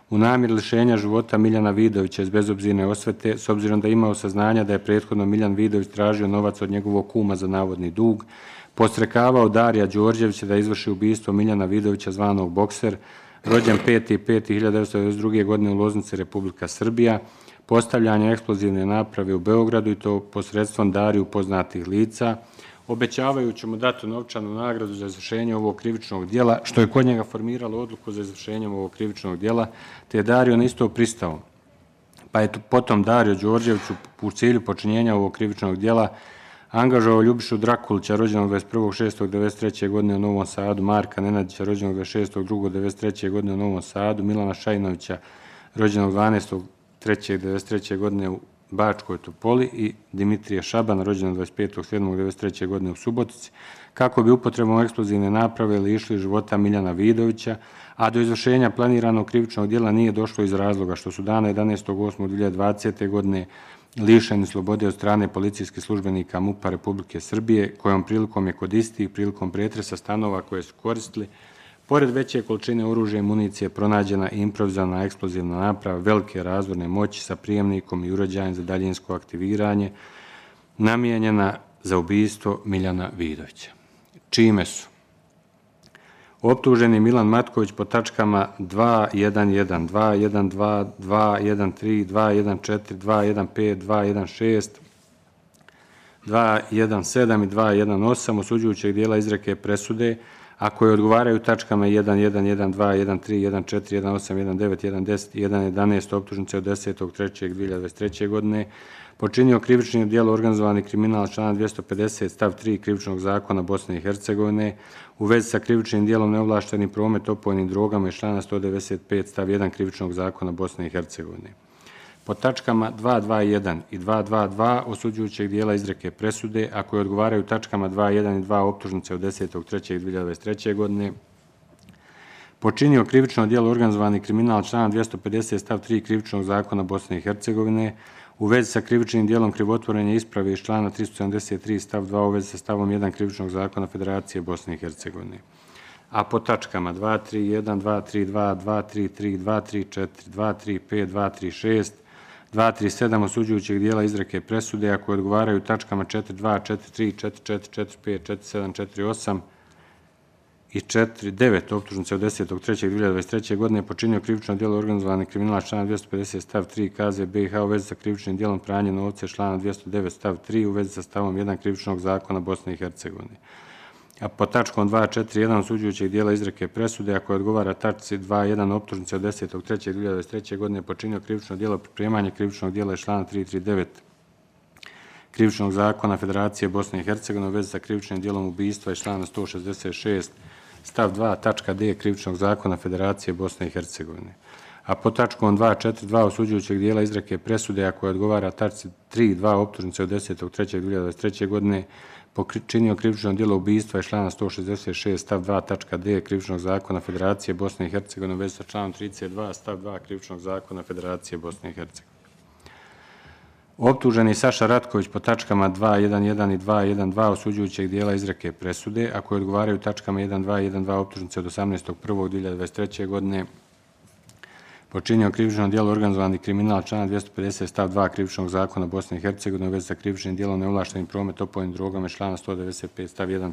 u namjeri lišenja života Miljana Vidovića iz bezobzirne osvete, s obzirom da je imao saznanja da je prethodno Miljan Vidović tražio novac od njegovog kuma za navodni dug, podstrekavao Darija Đorđevića da izvrši ubistvo Miljana Vidovića zvanog Bokser, rođen 5.5.1992. godine u Loznici, Republika Srbija, postavljanje eksplozivne naprave u Beogradu i to posredstvom Dariju poznatih lica, obećavajući mu datu novčanu nagradu za izvršenje ovog krivičnog djela, što je kod njega formiralo odluku za izvršenje ovog krivičnog djela, te je Dario na isto pristao. Pa je potom Dario Đorđević u cilju počinjenja ovog krivičnog djela angažovao Ljubišu Drakulića, rođenog 21.6.1993. godine u Novom Sadu, Marka Nenadića, rođenog 26.2.1993. godine u Novom Sadu, Milana Šajnovića, rođenog 12.3.1993. godine u Bačkoj Topoli i Dimitrija Šabana, rođenog 25.7.1993. godine u Subotici, kako bi upotrebom eksplozivne naprave lišili života Miljana Vidovića, a do izvršenja planiranog krivičnog djela nije došlo iz razloga što su dana 11.8.2020. godine lišeni slobode od strane policijskih službenika MUP-a Republike Srbije, kojom prilikom je kod istih prilikom pretresa stanova koje su koristili, pored veće količine oružja i municije pronađena i improvizovana eksplozivna naprava velike razvorne moći sa prijemnikom i uređajem za daljinsko aktiviranje, namijenjena za ubistvo Miljana Vidovića. Čime su optuženi Milan Matković po tačkama 2.1.1, 2.1.2, 2.1.3, 2.1.4, 2.1.5, 2.1.6, 2.1.7 i 2.1.8 osuđujućeg dijela izreke presude, a koje odgovaraju tačkama 1.1.1, 2.1.3, 1.4, 1.8, 1.9, 1.10 i 1.11 optužnice od 10.3.2023. godine, počinio krivično djelo organizovani kriminal člana 250 stav 3 krivičnog zakona Bosne i Hercegovine u vezi sa krivičnim djelom neovlašteni promet opojnim drogama iz člana 195 stav 1 krivičnog zakona Bosne i Hercegovine. Po tačkama 2.2.1 i 2.2.2 osuđujućeg dijela izreke presude, a koje odgovaraju tačkama 2.1 i 2 optužnice od 10.3.2023. godine, počinio krivično djelo organizovani kriminal člana 250 stav 3 krivičnog zakona Bosne i Hercegovine u vezi sa krivičnim djelom krivotvorenja isprave iz člana 373 stav 2 u vezi sa stavom 1 krivičnog zakona Federacije Bosne i Hercegovine. A po tačkama 2.3.1, 2.3.2, 2.3.3, 2.3.4, 2.3.5, 2.3.6, 2.3.7 osuđujućeg dijela izreke presude, a koje odgovaraju tačkama 4.2, 4.3, 4.4, 4.5, 4.7, 4.8 i 4.9 optužnice od 10.3.2023. godine počinio krivično djelo organizovani kriminal člana 250 stav 3 KZ BiH u vezi sa krivičnim djelom pranja novca člana 209 stav 3 u vezi sa stavom 1 krivičnog zakona Bosne i Hercegovine. A po tačkom 2.4.1 osuđujućeg dijela izreke presude, a koje odgovara tačci 2.1 optužnice od 10.3.2023. godine počinio krivično djelo pripremanja krivičnog djela iz člana 339 krivičnog zakona Federacije Bosne i Hercegovine u vezi sa krivičnim djelom ubistva iz člana 166 stav 2 tačka D krivičnog zakona Federacije Bosne i Hercegovine. A po tačkom 2.4.2 osuđujućeg dijela izreke presude, a koje odgovara tačci 3.2 optužnice od 10.3.2023. godine počinio krivično djelo ubistva iz člana 166 stav 2 tačka D krivičnog zakona Federacije Bosne i Hercegovine u vezi sa članom 32 stav 2 krivičnog zakona Federacije Bosne i Hercegovine. Optuženi Saša Ratković po tačkama 2.1.1 i 2.1.2 osuđujućeg dijela izreke presude, a koje odgovaraju tačkama 1.2 i 1.2 optužnice od 18.1.2023. godine, počinio krivično djelo organizovani kriminal člana 250 stav 2 krivičnog zakona Bosne i Hercegovine u vezi sa krivičnim djelom neovlaštenim promet opojnim drogama iz člana 195 stav 1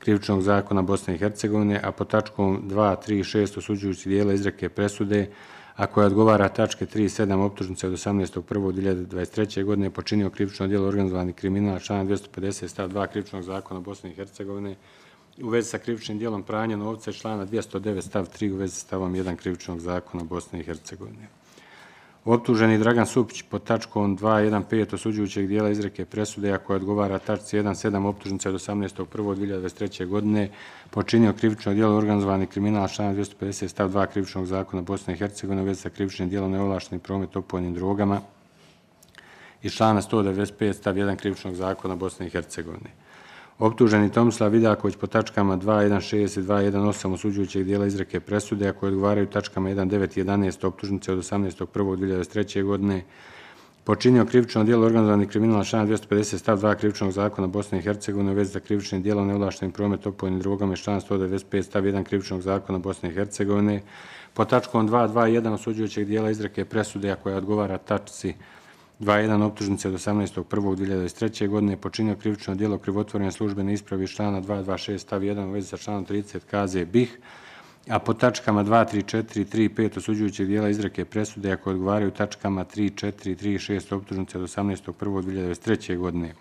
Krivičnog zakona Bosne i Hercegovine, a pod tačkom 2, 3 i 6 osuđujući dijela izreke presude, a koja odgovara tačke 3 i 7 optužnice od 18.1.2023. godine počinio krivično djelo organizovani kriminal člana 250 stav 2 Krivičnog zakona Bosne i Hercegovine u vezi sa krivičnim djelom pranja novca i člana 209 stav 3 u vezi sa stavom 1 Krivičnog zakona Bosne i Hercegovine. Optuženi Dragan Supić pod tačkom 2.1.5 osuđujućeg dijela izreke presude, a koja odgovara tačci 1.7 optužnice od 18.1.2023. godine počinio krivično djelo organizovani kriminal člana 250 stav 2 Krivičnog zakona Bosne i Hercegovine u vezi sa krivičnim djelom neovlašteni promet opojnim drogama i člana 195 stav 1 Krivičnog zakona Bosne i Hercegovine. Optuženi Tomislav Vidaković po tačkama 2.1.6 i 2.1.8 osuđujućeg dijela izreke presude, a koje odgovaraju tačkama 1.9 i 11 optužnice od 18.1.2023. godine, počinio krivično djelo organizovani kriminal člana 250 stav 2 Krivičnog zakona Bosne i Hercegovine u vezi sa krivičnim djelom neovlaštenim promet opojnim drogama i člana 195 stav 1 Krivičnog zakona Bosne i Hercegovine, po tačkom 2.2.1 osuđujućeg dijela izreke presude, a koja odgovara tačci 2.1 optužnice od 18.1.2023. godine počinio krivično djelo krivotvorenja službene isprave iz člana 226 stav 1 u vezi sa članom 30 KZ BiH, a po tačkama 2.3.4 i 3.5 osuđujućeg dijela izreke presude, a koje odgovaraju tačkama 3.4 i 3.6 optužnice od 18.1.2023. godine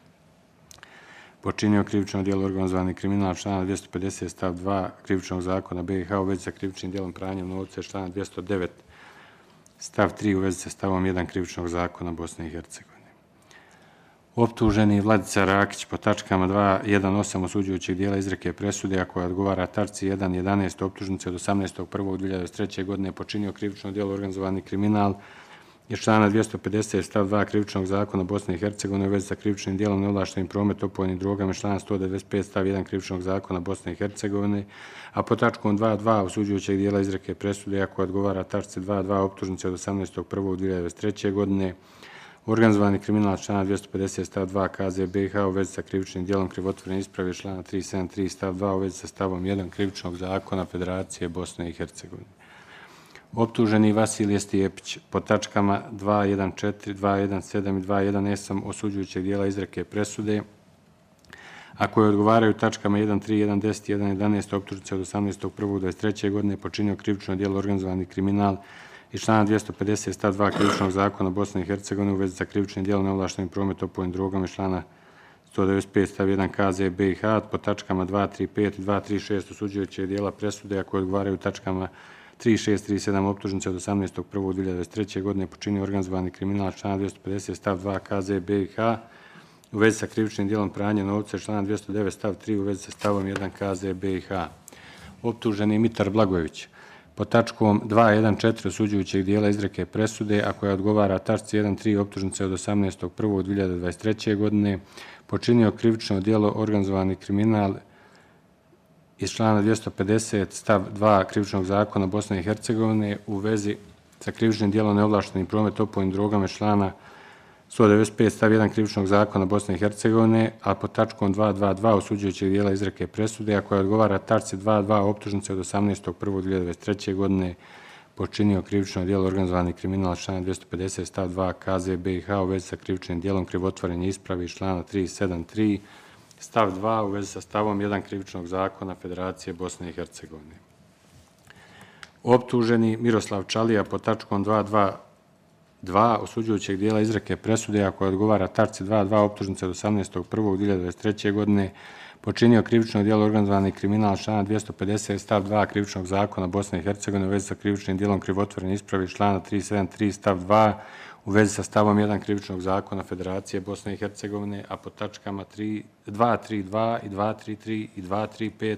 počinio krivično djelo organizovani kriminal člana 250 stav 2 Krivičnog zakona BiH u vezi sa krivičnim djelom pranjem novca iz člana 209 stav 3 u vezi sa stavom 1 Krivičnog zakona Bosne i Hercegovine. Optuženi Vladica Rakić po tačkama 2.1.8 osuđujućeg dijela izreke presude, a koja odgovara tačci 1.11 optužnice od 18.1.2023. godine počinio krivično djelo organizovani kriminal iz člana 250 stav 2 Krivičnog zakona Bosne i Hercegovine u vezi sa krivičnim djelom neovlaštenim promet opojnim drogama i člana 195 stav 1 Krivičnog zakona Bosne i Hercegovine, a po tačkom 2.2 osuđujućeg dijela izreke presude, a koja odgovara tačci 2.2 optužnice od 18.1.2023. godine, organizovani kriminal člana 250 stav 2 KZ BiH u vezi sa krivičnim djelom krivotvorene isprave člana 373 stav 2 u vezi sa stavom 1 Krivičnog zakona Federacije Bosne i Hercegovine. Optuženi Vasilije Stijepić po tačkama 2.1.4, 2.1.7 i 2.1.8 osuđujućeg dijela izreke presude, a koje odgovaraju tačkama 1.3, 1.10 i 1.11 optužnice od 18.1.2023. godine počinio krivično djelo organizovani kriminal iz člana 250 stav 2 Krivičnog zakona Bosne i Hercegovine u vezi sa krivičnim djelom neovlaštenim promet opojnim drogama iz člana 195 stav 1 KZ BiH po tačkama 2.3.5 i 2.3.6 osuđujućeg dijela presude, a koje odgovaraju tačkama 3.6, 3.7 optužnice od 18.1.2023. godine počinio organizovani kriminal člana 250 stav 2 KZ BiH u vezi sa krivičnim djelom pranja novca i člana 209 stav 3 u vezi sa stavom 1 KZ BiH. Optuženi Mitar Blagojević po tačkom 2.1.4 osuđujućeg dijela izreke presude, a koja odgovara tačci 1.3 optužnice od 18.1.2023. godine počinio krivično djelo organizovani kriminal iz člana 250 stav 2 Krivičnog zakona Bosne i Hercegovine u vezi sa krivičnim djelom neovlaštenim promet opojnim drogama iz člana 195 stav 1 Krivičnog zakona Bosne i Hercegovine, a pod tačkom 2.2.2 osuđujućeg dijela izreke presude, a koja odgovara tačci 2.2 optužnice od 18.1.2023. godine počinio krivično djelo organizovani kriminal člana 250 stav 2 KZ BiH u vezi sa krivičnim djelom krivotvorenja isprave iz člana 373 stav 2 u vezi sa stavom 1 Krivičnog zakona Federacije Bosne i Hercegovine. Optuženi Miroslav Čalija po tačkom 2.2.2 osuđujućeg dijela izreke presude, a koja odgovara tačci 2.2 optužnice od 18.1.2023. godine počinio krivično djelo organizovani kriminal člana 250 stav 2 Krivičnog zakona Bosne i Hercegovine u vezi sa krivičnim djelom krivotvorene isprave iz člana 373 stav 2 u vezi sa stavom 1 Krivičnog zakona Federacije Bosne i Hercegovine, a po tačkama 2.3.2 i 2.3.3 i 2.3.5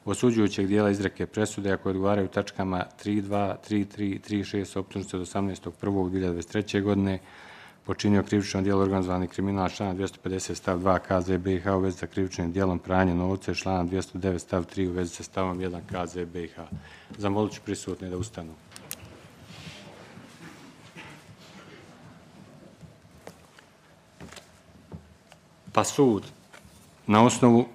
osuđujućeg dijela izreke presude, a koje odgovaraju tačkama 3.2, 3.3 i 3.6 optužnice od 18.1.2023. godine počinio krivično djelo organizovani kriminal člana 250 stav 2 KZ BiH u vezi sa krivičnim djelom pranja novca i člana 209 stav 3 u vezi sa stavom 1 KZ BiH. Zamolit ću prisutne da ustanu. Pa sud, na osnovu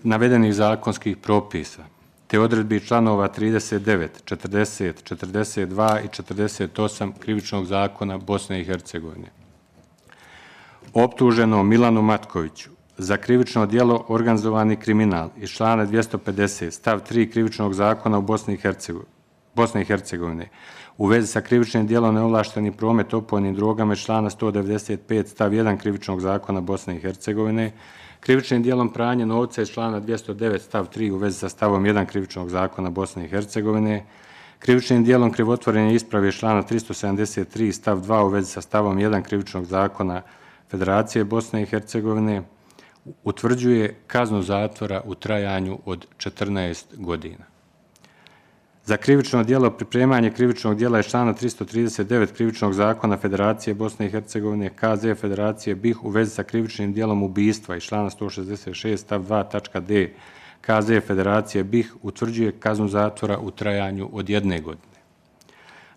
navedenih zakonskih propisa, te odredbi članova 39, 40, 42 i 48 Krivičnog zakona Bosne i Hercegovine, optuženom Milanu Matkoviću za krivično djelo organizovani kriminal iz člana 250 stav 3 Krivičnog zakona u Bosne i Hercegovine u vezi sa krivičnim djelom neovlašteni promet opojnim drogama iz člana 195 stav 1 Krivičnog zakona Bosne i Hercegovine, krivičnim djelom pranje novca iz člana 209 stav 3 u vezi sa stavom 1 Krivičnog zakona Bosne i Hercegovine, krivičnim djelom krivotvorenja isprave iz člana 373 stav 2 u vezi sa stavom 1 Krivičnog zakona Federacije Bosne i Hercegovine, utvrđuje kaznu zatvora u trajanju od 14 godina. Za krivično djelo pripremanje krivičnog djela iz člana 339 Krivičnog zakona Federacije Bosne i Hercegovine, KZ Federacije BiH u vezi sa krivičnim djelom ubistva iz člana 166 stav 2 tačka d KZ Federacije BiH utvrđuje kaznu zatvora u trajanju od 1 godine.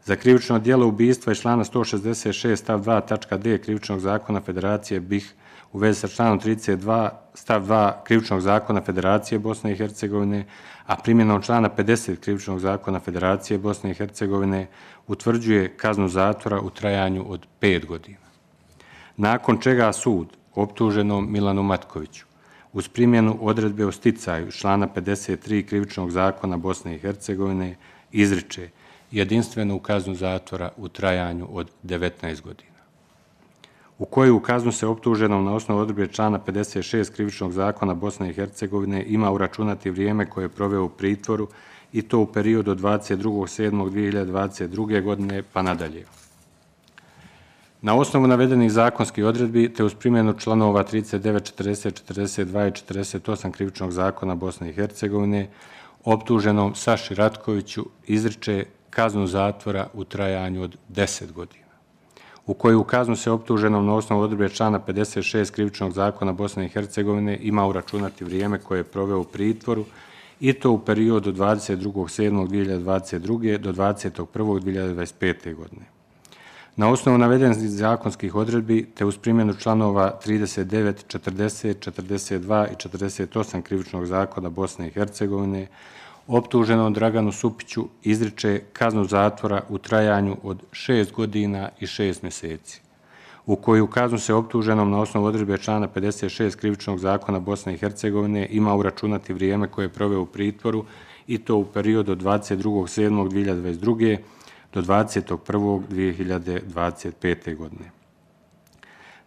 Za krivično djelo ubistva iz člana 166 stav 2 tačka d Krivičnog zakona Federacije BiH u vezi sa članom 32 stav 2 Krivičnog zakona Federacije Bosne i Hercegovine, a primjenom člana 50 Krivičnog zakona Federacije Bosne i Hercegovine utvrđuje kaznu zatvora u trajanju od 5 godina. Nakon čega sud optuženom Milanu Matkoviću uz primjenu odredbe o sticaju člana 53 Krivičnog zakona Bosne i Hercegovine izriče jedinstvenu kaznu zatvora u trajanju od 19 godina. U koju kaznu se optuženom na osnovu odredbe člana 56 Krivičnog zakona Bosne i Hercegovine ima uračunati vrijeme koje je proveo u pritvoru i to u periodu od 22.7.2022. godine pa nadalje. Na osnovu navedenih zakonskih odredbi te uz primjenu članova 39, 40, 42 i 48 Krivičnog zakona Bosne i Hercegovine optuženom Saši Ratkoviću izriče kaznu zatvora u trajanju od 10 godina. U koju kaznu se optuženom na osnovu odredbe člana 56 Krivičnog zakona Bosne i Hercegovine ima uračunati vrijeme koje je proveo u pritvoru i to u periodu od 22.7.2022. do 21.1.2025. godine. Na osnovu navedenih zakonskih odredbi te uz primjenu članova 39, 40, 42 i 48 Krivičnog zakona Bosne i Hercegovine optuženom Draganu Supiću izriče kaznu zatvora u trajanju od 6 godina i 6 mjeseci, u koju kaznu se optuženom na osnovu odredbe člana 56 Krivičnog zakona Bosne i Hercegovine ima uračunati vrijeme koje je proveo u pritvoru i to u periodu od 22.7.2022. do 21.1.2025. godine.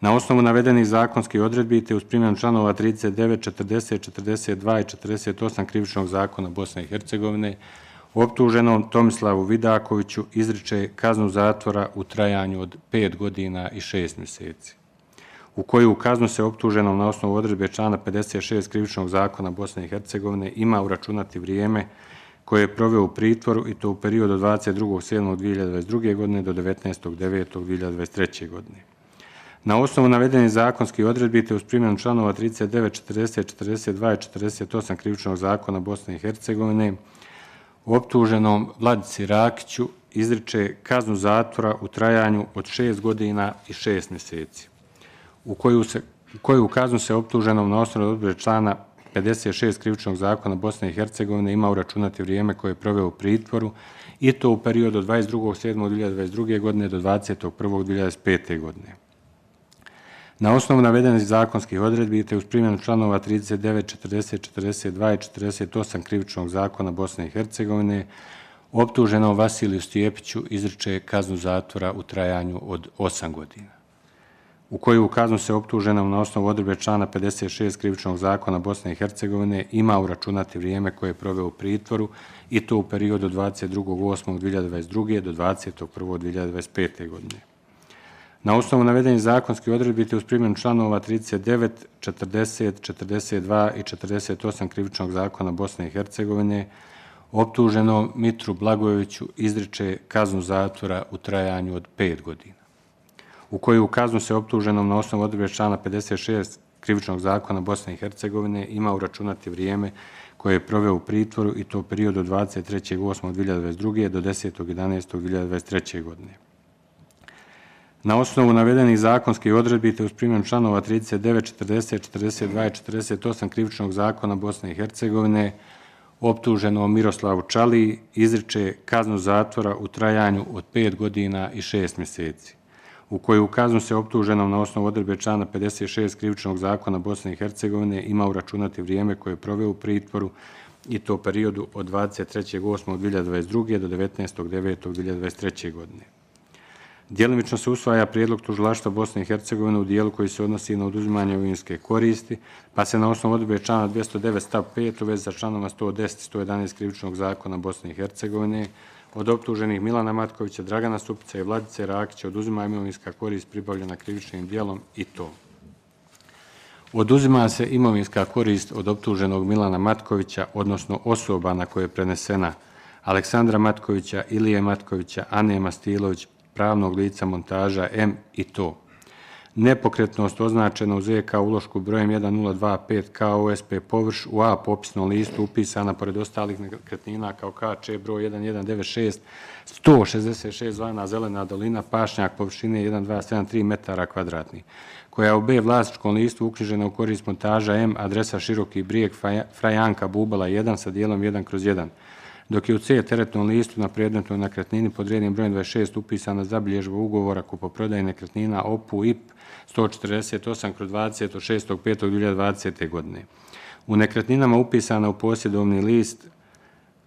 Na osnovu navedenih zakonskih odredbi te uz primjenu članova 39, 40, 42 i 48 Krivičnog zakona Bosne i Hercegovine optuženom Tomislavu Vidakoviću izriče kaznu zatvora u trajanju od 5 godina i 6 mjeseci, u koju kaznu se optuženom na osnovu odredbe člana 56 Krivičnog zakona Bosne i Hercegovine ima uračunati vrijeme koje je proveo u pritvoru i to u periodu od 22.7.2022. godine do 19.9.2023. godine. Na osnovu navedenih zakonskih odredbi te uz primjenu članova 39, 40, 42 i 48 Krivičnog zakona Bosne i Hercegovine optuženom Vladici Rakiću izriče kaznu zatvora u trajanju od 6 godina i 6 mjeseci, u koju kaznu se optuženom na osnovu odredbe člana 56 Krivičnog zakona Bosne i Hercegovine ima uračunati vrijeme koje je proveo u pritvoru i to u periodu od 22.7.2022. godine do 21.1.2025. godine. Na osnovu navedenih zakonskih odredbi te uz primjenu članova 39, 40, 42 i 48 Krivičnog zakona Bosne i Hercegovine optuženom Vasiliju Stijepiću izriče kaznu zatvora u trajanju od 8 godina, u koju kaznu se optuženom na osnovu odredbe člana 56 Krivičnog zakona Bosne i Hercegovine ima uračunati vrijeme koje je proveo u pritvoru i to u periodu od 22.8.2022. do 21.1.2025. godine. Na osnovu navedenih zakonskih odredbi te uz primjenu članova 39, 40, 42 i 48 Krivičnog zakona Bosne i Hercegovine optuženom Mitru Blagojeviću izriče kaznu zatvora u trajanju od 5 godina, u koju kaznu se optuženom na osnovu odredbe člana 56 Krivičnog zakona Bosne i Hercegovine ima uračunati vrijeme koje je proveo u pritvoru i to u periodu od 23.8.2022. do 10.11.2023. godine. Na osnovu navedenih zakonskih odredbi te uz primjenu članova 39, 40, 42 i 48 Krivičnog zakona Bosne i Hercegovine optuženom Miroslavu Čaliji izriče kaznu zatvora u trajanju od 5 godina i 6 mjeseci, u koju kaznu se optuženom na osnovu odredbe člana 56 Krivičnog zakona Bosne i Hercegovine ima uračunati vrijeme koje je proveo u pritvoru i to u periodu od 23.8.2022. do 19.9.2023. godine. Djelimično se usvaja prijedlog tužilaštva Bosne i Hercegovine u dijelu koji se odnosi na oduzimanje imovinske koristi, pa se na osnovu odredbe člana 209 stav 5 u vezi sa članoma 110 i 111 Krivičnog zakona Bosne i Hercegovine od optuženih Milana Matkovića, Dragana Supića i Vladice Rakića oduzima imovinska korist pribavljena krivičnim djelom i to. Oduzima se imovinska korist od optuženog Milana Matkovića, odnosno osoba na koje je prenesena Aleksandra Matkovića, Ilije Matkovića, Ane Mastilović, pravnog lica Montaža M i to. Nepokretnost označena u ZK ulošku brojem 1025 KOSP površ u A popisnom listu upisana pored ostalih nekretnina kao KČ broj 1196 166 zvana Zelena dolina, pašnjak površine 1273 metara kvadratnih, koja je u B vlasničkom listu uknjižena u korist Montaža M, adresa Široki brijeg Frajanka Bubala 1 sa dijelom 1/1, dok je u C teretnom listu na predmetnoj nekretnini pod rednim brojem 26 upisana zabilježba ugovora kupoprodaje nekretnina OPU IP 148/20 od 6.5.2020. godine. U nekretninama upisana u posjedovni list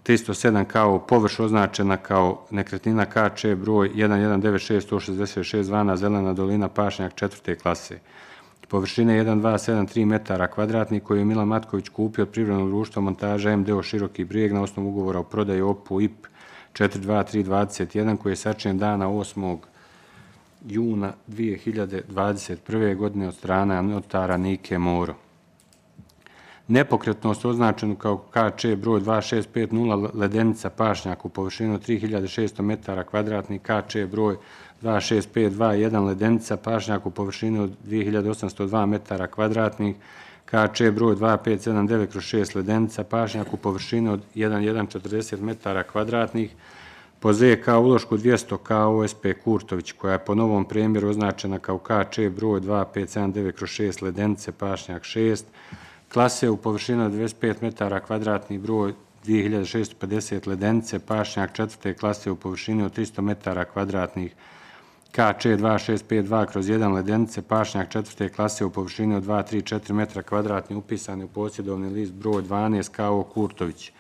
307 kao površ označena kao nekretnina KČ broj 1196 166 zvana Zelena dolina, pašnjak 4. klase. Površine 1273 metara kvadratnih koju je Milan Matković kupio od privrednog društva Montaža MDO Široki brijeg na osnovu ugovora o prodaji OPU IP 42321 koji je sačinjen dana 8. juna 2021. godine od strane notara Nike Moro. Nepokretnost označenu kao KČ broj 2650 Ledenica, pašnjak u površinu 3600 metara kvadratnih, KČ broj 26521 Ledenica, pašnjak u površini od 2802 metara kvadratnih, KČ broj 2579/6 Ledenica, pašnjak u površini od 1140 metara kvadratnih, po ZK ulošku 200 KOSP Kurtović, koja je po novom premjeru označena kao KČ broj 2579/6 Ledenice, pašnjak 6, klase u površini od 25 metara kvadratnih, broj 2650 Ledenice, pašnjak 4. klase u površini od 300 metara kvadratnih, KČ 2652/1 Ledenice, pašnjak 4. klase u površini od 234 metra kvadratnih upisani u posjedovni list broj 12 KO Kurtović,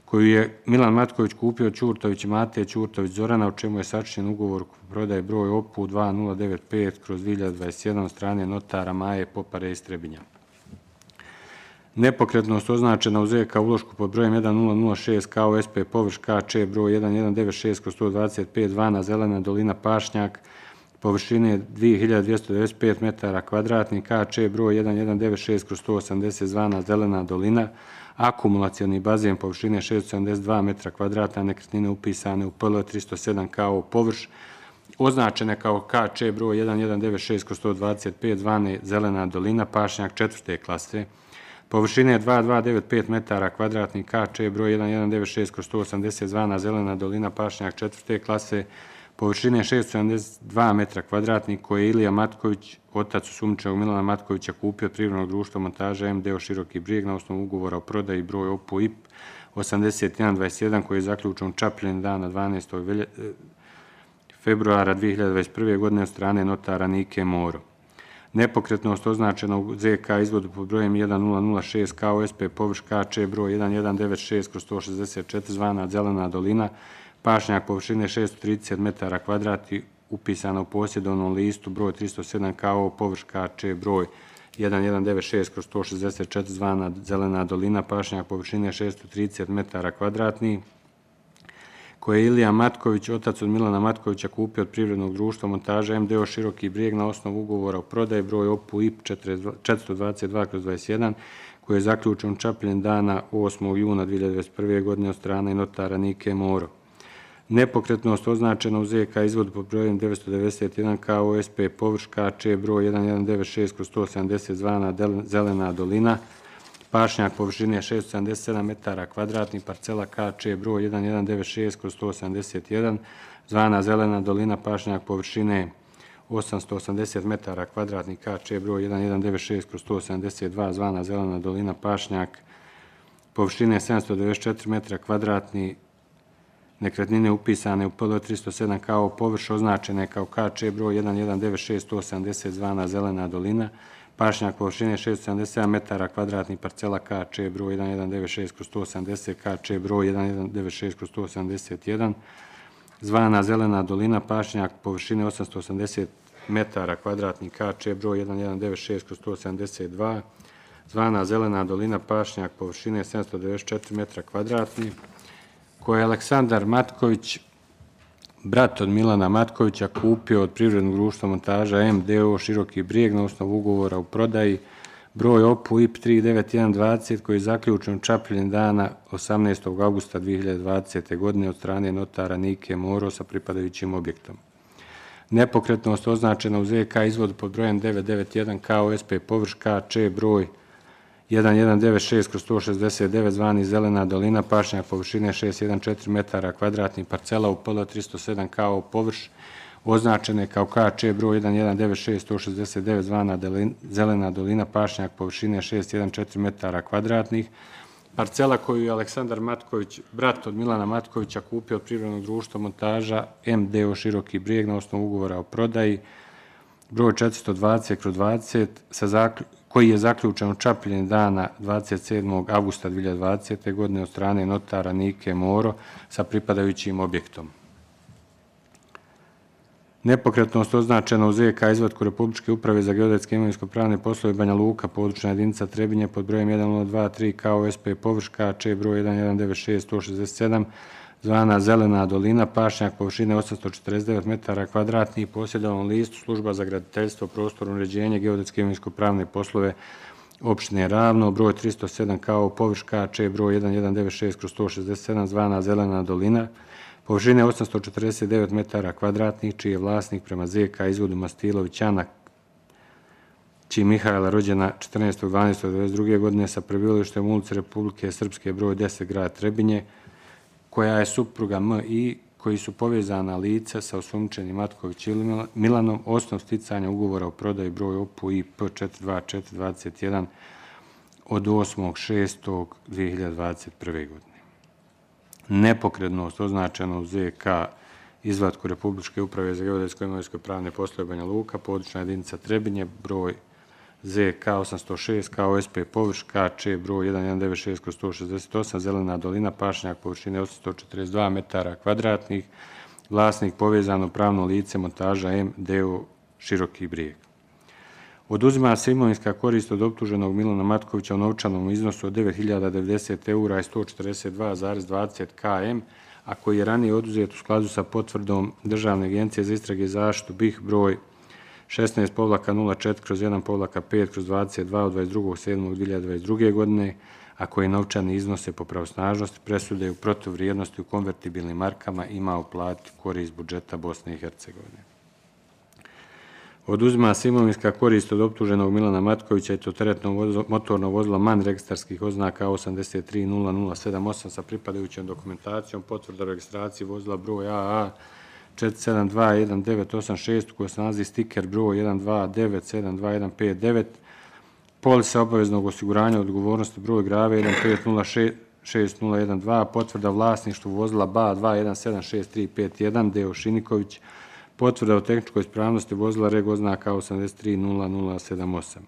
koju je Milan Matković kupio od Ćurtović Mate Ćurtović Zorana, u čemu je sačinjen ugovor prodaje broj OPU 2095/2021 od strane notara Maje Popare iz Trebinja. Nepokretnost označena u ZK ulošku pod brojem 1006 KOSP površ KČ broj 1196/125 zvana Zelena dolina, pašnjak površine 2295 metara kvadratnih, KČ broj 1196/180 zvana Zelena dolina, akumulacioni bazen površine 672 metra kvadratna, nekretnine upisane u PL 307 KO površ, označene kao KČ broj 1196/125 zvane Zelena dolina, pašnjak 4. klase, površine 2295 metara kvadratnih, KČ broj 1196/180 zvana Zelena dolina, pašnjak 4. klase, površine 672 metra kvadratnih, koje je Ilija Matković, otac osumnjičenog Milana Matkovića, kupio od privrednog društva Montaža MDO Široki brijeg na osnovu ugovora o prodaji broj OPU IP 8121 koji je zaključen u Čapljini dana 12. februara 2021. godine od strane notara Nike Moro. Nepokretnost označena u ZK izvodu pod brojem 1006 KOSP površ KČ broj 1196/164 zvana Zelena dolina, pašnjak površine 630 metara kvadratnih upisana u posjedovnom listu broj 307 KO površ KČ broj 1196/164 zvana Zelena dolina, pašnjak površine 630 metara kvadratnih, koje je Ilija Matković, otac od Milana Matkovića, kupio od privrednog društva Montaža MDO Široki brijeg na osnovu ugovora o prodaji broj OPU IP 422/21 koji je zaključen u Čapljini dana 8. juna 2021. godine od strane notara Nike Moro. Nepokretnost označena u ZK izvodu pod brojem 991 KOSP površ KČ broj 1196/170 zvana Zelena dolina, pašnjak površine 677 metara kvadratnih, parcela KČ broj 1196/181 zvana Zelena dolina, pašnjak površine 880 metara kvadratnih, KČ broj 1196/182 zvana Zelena dolina, pašnjak površine 794 metra kvadratnih, nekretnine upisane u PL 307 kao površ označene kao KČ broj 1196180 zvana Zelena dolina, pašnjak površine 677 metara kvadratnih, parcela KČ broj 1196/180, KČ broj 1196/181, zvana Zelena dolina, pašnjak površine 880 metara kvadratnih, KČ broj 1196/182, zvana Zelena dolina, pašnjak površine 794 metra kvadratnih, koje je Aleksandar Matković, brat od Milana Matkovića, kupio od privrednog društva Montaža MDO Široki Brijeg na osnovu ugovora u prodaji broj OPU IP 39120 koji je zaključen u Čapljini dana 18. augusta 2020. godine od strane notara Nike Moro sa pripadajućim objektom. Nepokretnost označena u ZK izvodu pod brojem 991 KOSP površ KČ broj 1196/169 zvani Zelena dolina, pašnjak površine 614 metara kvadratnih, parcela u PL 307 kao površ označene kao KČ broj 1196/169 zvana Zelena dolina, pašnjak površine 614 metara kvadratnih, parcela koju je Aleksandar Matković, brat od Milana Matkovića, kupio od privrednog društva Montaža MDO Široki Brijeg na osnovu ugovora o prodaji broj 420/20 koji je zaključen u Čapljini dana 27. augusta 2020. godine od strane notara Nike Moro sa pripadajućim objektom. Nepokretnost označena u ZK izvatku Republičke uprave za geodetske imovinsko-pravne poslove Banja Luka, područna jedinica Trebinje pod brojem 1023 KOSP površ KČ broj 1196/167 zvana Zelena dolina, pašnjak površine 849 metara kvadratnih, posjedovanom listu Služba za graditeljstvo, prostorno uređenje, geodetske imovinsko-pravne poslove opštine Ravno, broj 307 kao površ KČ broj 1196/167 zvana Zelena dolina, površine 849 metara kvadratnih, čiji je vlasnik prema ZK izvodu Mastilović Ana Ći Mihajla, rođena 14.12.1992. godine sa prebivalištem u ulici Republike Srpske broj 10 grad Trebinje, koja je supruga M.I. koji su povezana lica sa osumnjičenim Matković Milanom, osnov sticanja ugovora o prodaji broj OPU IP 42421 od 8.6.2021. godine. Nepokretnost označena u ZK izvatku Republičke uprave za geodetsko imovinsko-pravne poslove Banja Luka, područna jedinica Trebinje, broj ZK 806 KOSP površ KČ broj 1196/168 Zelena dolina, pašnjak površine 842 metara kvadratnih, vlasnik povezano pravno lice Montaža MDO Široki Brijeg. Oduzima se imovinska korist od optuženog Milana Matkovića u novčanom iznosu od 9.090 eura i 142,20 km, a koji je ranije oduzet u skladu sa potvrdom Državne agencije za istrage i zaštitu BiH broj 16-04/1-5/22 od 22.7.2022. godine, a koji novčani iznose po pravosnažnosti presude u protuvrijednosti u konvertibilnim markama ima uplatiti korist budžeta Bosne i Hercegovine. Oduzima se imovinska korist od optuženog Milana Matkovića i to teretno motorno vozilo MAN registarskih oznaka 830078 sa pripadajućom dokumentacijom, potvrda o registraciji vozila broj AA 4721986 koji se nalazi stiker broj 129725159, polisa obaveznog osiguranja odgovornosti broj grave 1506012, potvrda vlasništvu vozila BA 2176351 Deo Šiniković, potvrda o tehničkoj ispravnosti vozila reg oznaka 830078,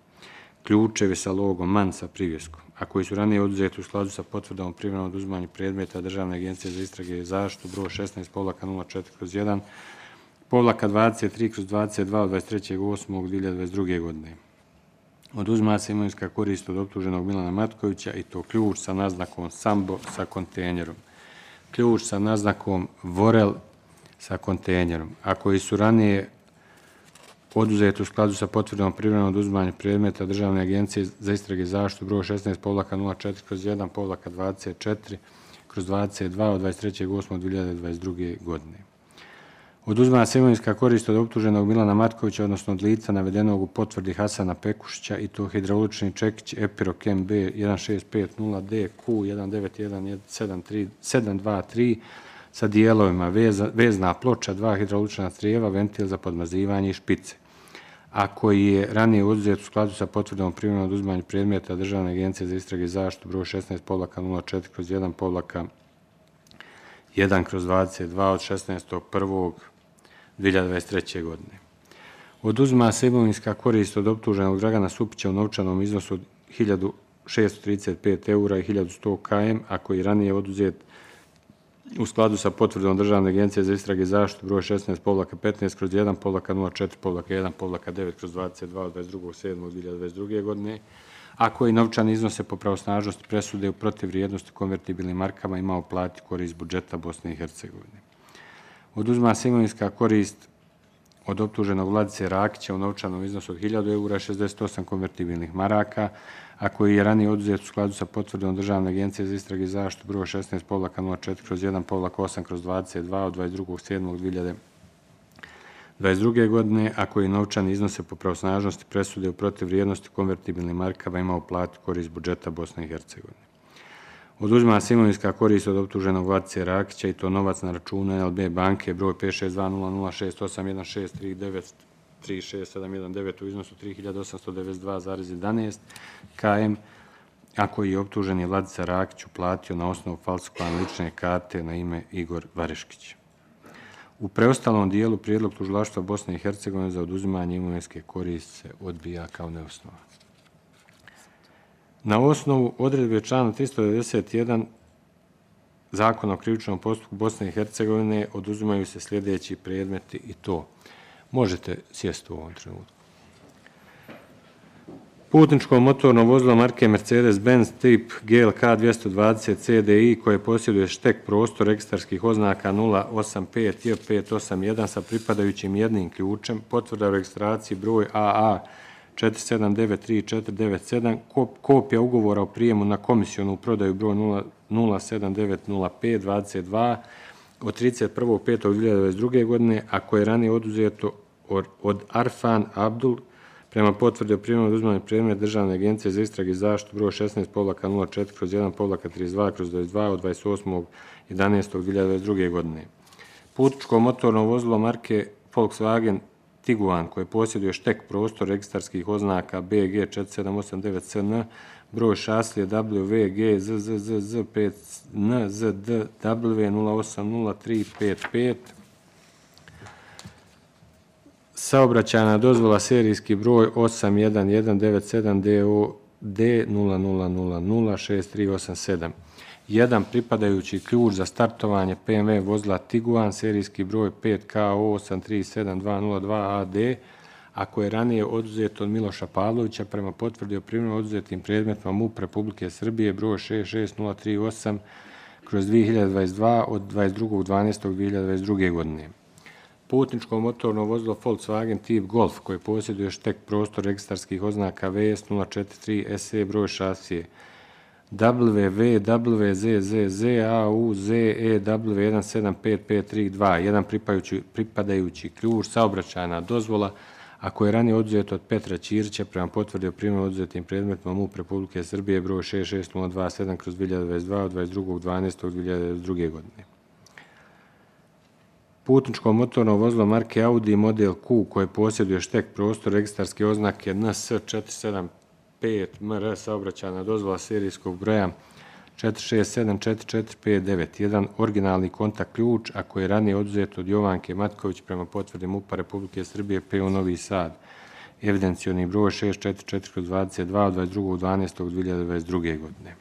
ključevi sa logom MAN sa privjeskom, a koji su ranije oduzeti u skladu sa potvrdom o privremenom oduzimanju predmeta Državne agencije za istrage i zaštitu broj 16-04/1-23/22 od 23.8.2022. godine. Oduzima se imovinska korist od optuženog Milana Matkovića i to ključ sa naznakom Sambo sa kontejnerom, ključ sa naznakom Vorel sa kontejnerom, a koji su ranije oduzeti u skladu sa potvrdom privremenog oduzimanja predmeta Državne agencije za istrage i zaštitu broj 16-04/1-24/22 od 23.8.2022. godine. Oduzima se imovinska korist od optuženog Milana Matkovića, odnosno od lica navedenog u potvrdi Hasana Pekušića i to hidraulični čekić Epirok MB 1650D Q1911723 sa dijelovima vezna ploča, 2 hidraulična crijeva, ventil za podmazivanje i špice, a koji je ranije oduzet u skladu sa potvrdom privremenog oduzimanja predmeta Državne agencije za istrage i zaštitu broj 16-04/1-19 1/22 od 16.1.2023. godine. Oduzima se imovinska korist od optuženog Dragana Supića u novčanom iznosu od 1.635 eura i 1.100 km, a koji je ranije oduzet u skladu sa potvrdom Državne agencije za istrage i zaštitu broj 16-15/1-04-1-1/9/22 od 22.7.2022. godine, a koji novčani iznose po pravosnažnosti presude u protiv vrijednosti konvertibilnim markama imao plati korist budžeta Bosne i Hercegovine. Oduzima se imovinska korist od optuženog Vladice Rakića u novčanom iznosu od 1.000 eura i 68 konvertibilnih maraka, a koji je ranije oduzet u skladu sa potvrdom Državne agencije za istrage i zaštitu broj 16-04/1-8/22 od 22.7.2022. godine, a koji novčani iznose po pravosnažnosti presude u protiv vrijednosti konvertibilnim markama imao platu korist budžeta Bosne i Hercegovine. Oduzima se imovinska korist od optuženog Vladice Rakića i to novac na računu NLB banke broj 56200681639367119 u iznosu 3.892,11 km, a koji je optuženi Vladica Rakić uplatio na osnovu falsifikovane lične karte na ime Igor Vareškić. U preostalom dijelu prijedlog tužilaštva Bosne i Hercegovine za oduzimanje imovinske koristi se odbija kao neosnovan. Na osnovu odredbe člana 391 Zakona o krivičnom postupku Bosne i Hercegovine oduzimaju se sljedeći predmeti i to. Možete sjesti u ovom trenutku. Putničko motorno vozilo marke Mercedes-Benz tip GLK 220 CDI koje posjeduje štek prostor registarskih oznaka 085 J581 sa pripadajućim jednim ključem, potvrda o registraciji broj AA 4793-497, kopija ugovora o prijemu na komisionu prodaju broj 0790522 od 31.5.2022. godine, a koje je ranije oduzeto od Arfan Abdul prema potvrdi o prijemu oduzimanja predmeta Državne agencije za istrage i zaštitu broj 16-04/1-32/22 od 28.11.2022. godine. Putničko motorno vozilo marke Volkswagen Tiguan koje posjeduje štek prostor registarskih oznaka BG 4789CN, broj šaslije WG ZZZZ5NZDW 080355, saobraćajna dozvola serijski broj 81197 D00006387. Jedan pripadajući ključ za startovanje BMW vozila Tiguan serijski broj 5KO837202AD, a koje je ranije oduzet od Miloša Pavlovića prema potvrdi o primjenu oduzetim predmetima MUP Republike Srbije broj 66038/2022 od 22.12.2022. godine. Putničko motorno vozilo Volkswagen tip Golf koje posjeduje štek prostor registarskih oznaka VS 043 SE broj šasije WWZZZAUZEW1755332, jedan pripadajući ključ, saobraćajna dozvola, a koje je ranije oduzeto od Petra Ćirića prema potvrdi o primjenu oduzetim predmetima MUP Republike Srbije broj 66027/2022 od 22.12.2022. godine. Putničko motorno vozilo marke Audi model Q koje posjeduje štek prostor registarske oznake NS475 MR saobraćajna dozvola serijskog broja 4674459, jedan originalni kontakt ključ, a koji je ranije oduzet od Jovanke Matković prema potvrdi MUP Republike Srbije PU Novi Sad, evidencijoni broj 644/22 od 22.12.2022. godine.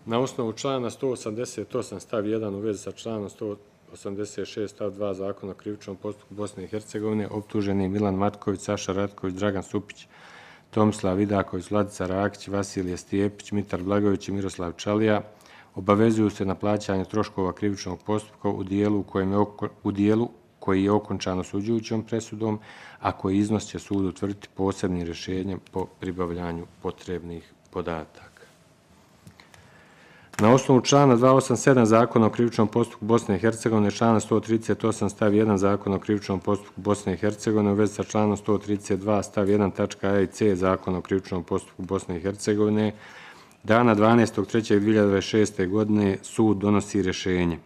Na osnovu člana 188 stav 1 u vezi sa članom 186 stav 2 Zakona o krivičnom postupku Bosne i Hercegovine optuženi Milan Matković, Saša Ratković, Dragan Supić, Tomislav Vidaković, Vladica Rakić, Vasilije Stijepić, Mitar Blagović i Miroslav Čalija obavezuju se na plaćanje troškova krivičnog postupka u dijelu koji je okončan osuđujućom presudom, a koji iznos će sud utvrditi posebnim rješenjem po pribavljanju potrebnih podataka. Na osnovu člana 287 Zakona o krivičnom postupku Bosne i Hercegovine, člana 138 stav 1 Zakona o krivičnom postupku Bosne i Hercegovine u vezi sa članom 132 stav 1 tačka A i C Zakona o krivičnom postupku Bosne i Hercegovine, dana 12.3.2026. godine sud donosi rješenje.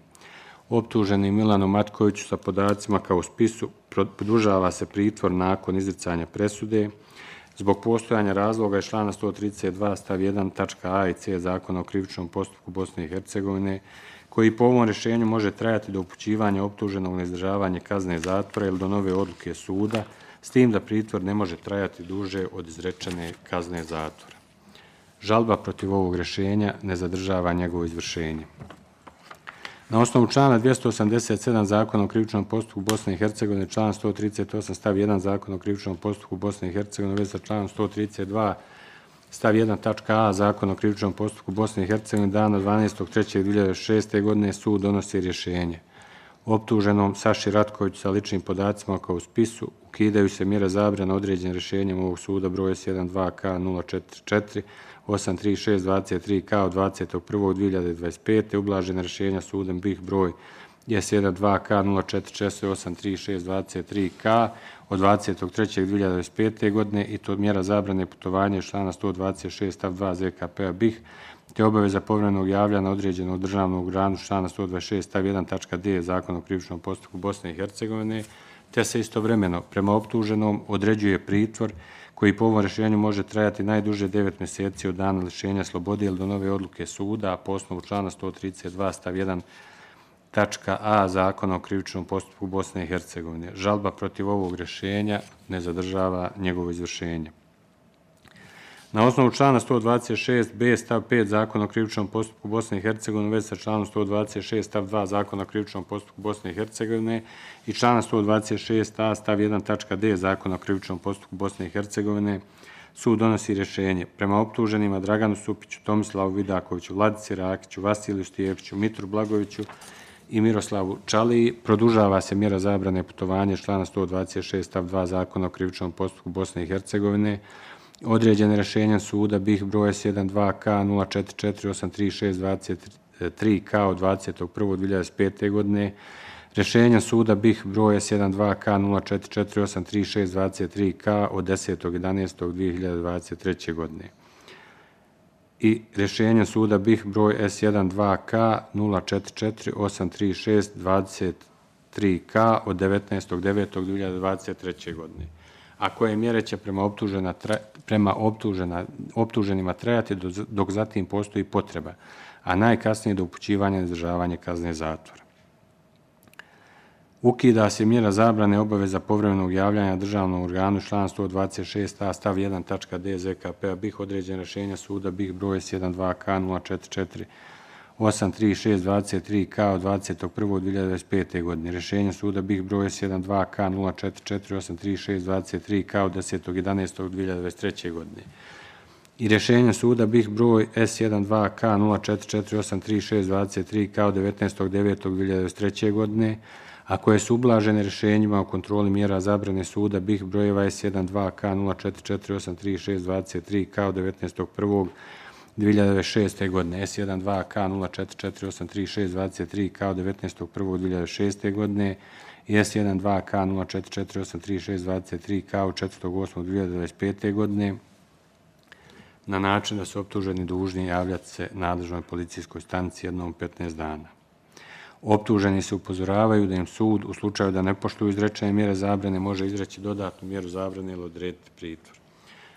Optuženi Milanu Matkoviću sa podacima kao u spisu produžava se pritvor nakon izricanja presude zbog postojanja razloga iz člana 132 stav 1 tačka A i C Zakona o krivičnom postupku Bosne i Hercegovine koji po ovom rješenju može trajati do upućivanja optuženog na izdržavanje kazne zatvora ili do nove odluke suda, s tim da pritvor ne može trajati duže od izrečene kazne zatvora. Žalba protiv ovog rješenja ne zadržava njegovo izvršenje. Na osnovu člana 287 Zakona o krivičnom postupku Bosne i Hercegovine, član 138 stav 1 Zakona o krivičnom postupku Bosne i Hercegovine u vezi sa članom 132 stav 1 tačka a Zakona o krivičnom postupku Bosne i Hercegovine dana 12.3.2006. godine sud donosi rješenje. Optuženom Saši Ratkoviću sa ličnim podacima kao u spisu ukidaju se mjere zabrane određene rješenjem ovog suda broj S12K044 83623K od 21.2025. ublažena rješenja sudom BiH broj S12K044 83623K od 23.2025. godine i to mjera zabrane putovanja iz člana 126 stav 2 ZKP-a BiH te obaveza povremenog javljanja određenog državnog organu člana 126 stav 1 tačka d Zakona o krivičnom postupku Bosne i Hercegovine, te se istovremeno prema optuženom određuje pritvor koji po ovom rješenju može trajati najduže 9 mjeseci od dana lišenja slobode ili do nove odluke suda, a po osnovu člana 132 stav 1 tačka a Zakona o krivičnom postupku Bosne i Hercegovine. Žalba protiv ovog rješenja ne zadržava njegovo izvršenje. Na osnovu člana 126b stav 5 Zakona o krivičnom postupku Bosne i Hercegovine u vezi sa članom 126 stav 2 Zakona o krivičnom postupku Bosne i Hercegovine i člana 126a stav 1 tačka d Zakona o krivičnom postupku Bosne i Hercegovine, sud donosi rješenje prema optuženima Draganu Supiću, Tomislavu Vidakoviću, Vladici Rakiću, Vasiliju Stijepiću, Mitru Blagoviću i Miroslavu Čaliji. Produžava se mjera zabrane putovanja iz člana 126 stav 2 Zakona o krivičnom postupku Bosne i Hercegovine, određene rješenjem suda BiH broj S12K044833623K od 21.2025. godine, rješenjem suda BiH broj S12K044833623K od 10.11.2023. godine i rješenjem suda BiH broj S12K044833623K od 19.9.2023. godine. A koje mjere će prema optuženima trajati dok zatim postoji potreba, a najkasnije do upućivanja na izdržavanje kazne zatvora. Ukida se mjera zabrane obaveza povremenog javljanja državnom organu član 126a stav 1 tačka d ZKP-a BiH određene rješenja suda BiH broj S12K044 83623K od 21.2025. godine. Rješenje suda BiH broj S12K044 83623K od 10.11.2023. godine. I rješenje suda BiH broj S12K044 83623K od 19.9.2023. godine, a koje su ublažene rješenjima o kontroli mjera zabrane suda BiH brojeva S12K044 83623K od 19.1.2006. godine, S12K044 83623K od 19.1.2006. godine i S12K044 83623K od 4.8.2025. godine na način da su optuženi dužni javljati se nadležnoj policijskoj stanici jednom 15 dana. Optuženi se upozoravaju da im sud u slučaju da ne poštuju izrečene mjere zabrane može izreći dodatnu mjeru zabrane ili odrediti pritvor.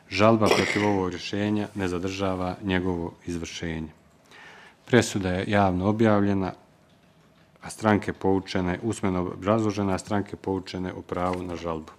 Žalba protiv ovog rješenja ne zadržava njegovo izvršenje. Presuda je javno objavljena, a stranke poučene, usmeno obrazložena, a stranke poučene o pravu na žalbu.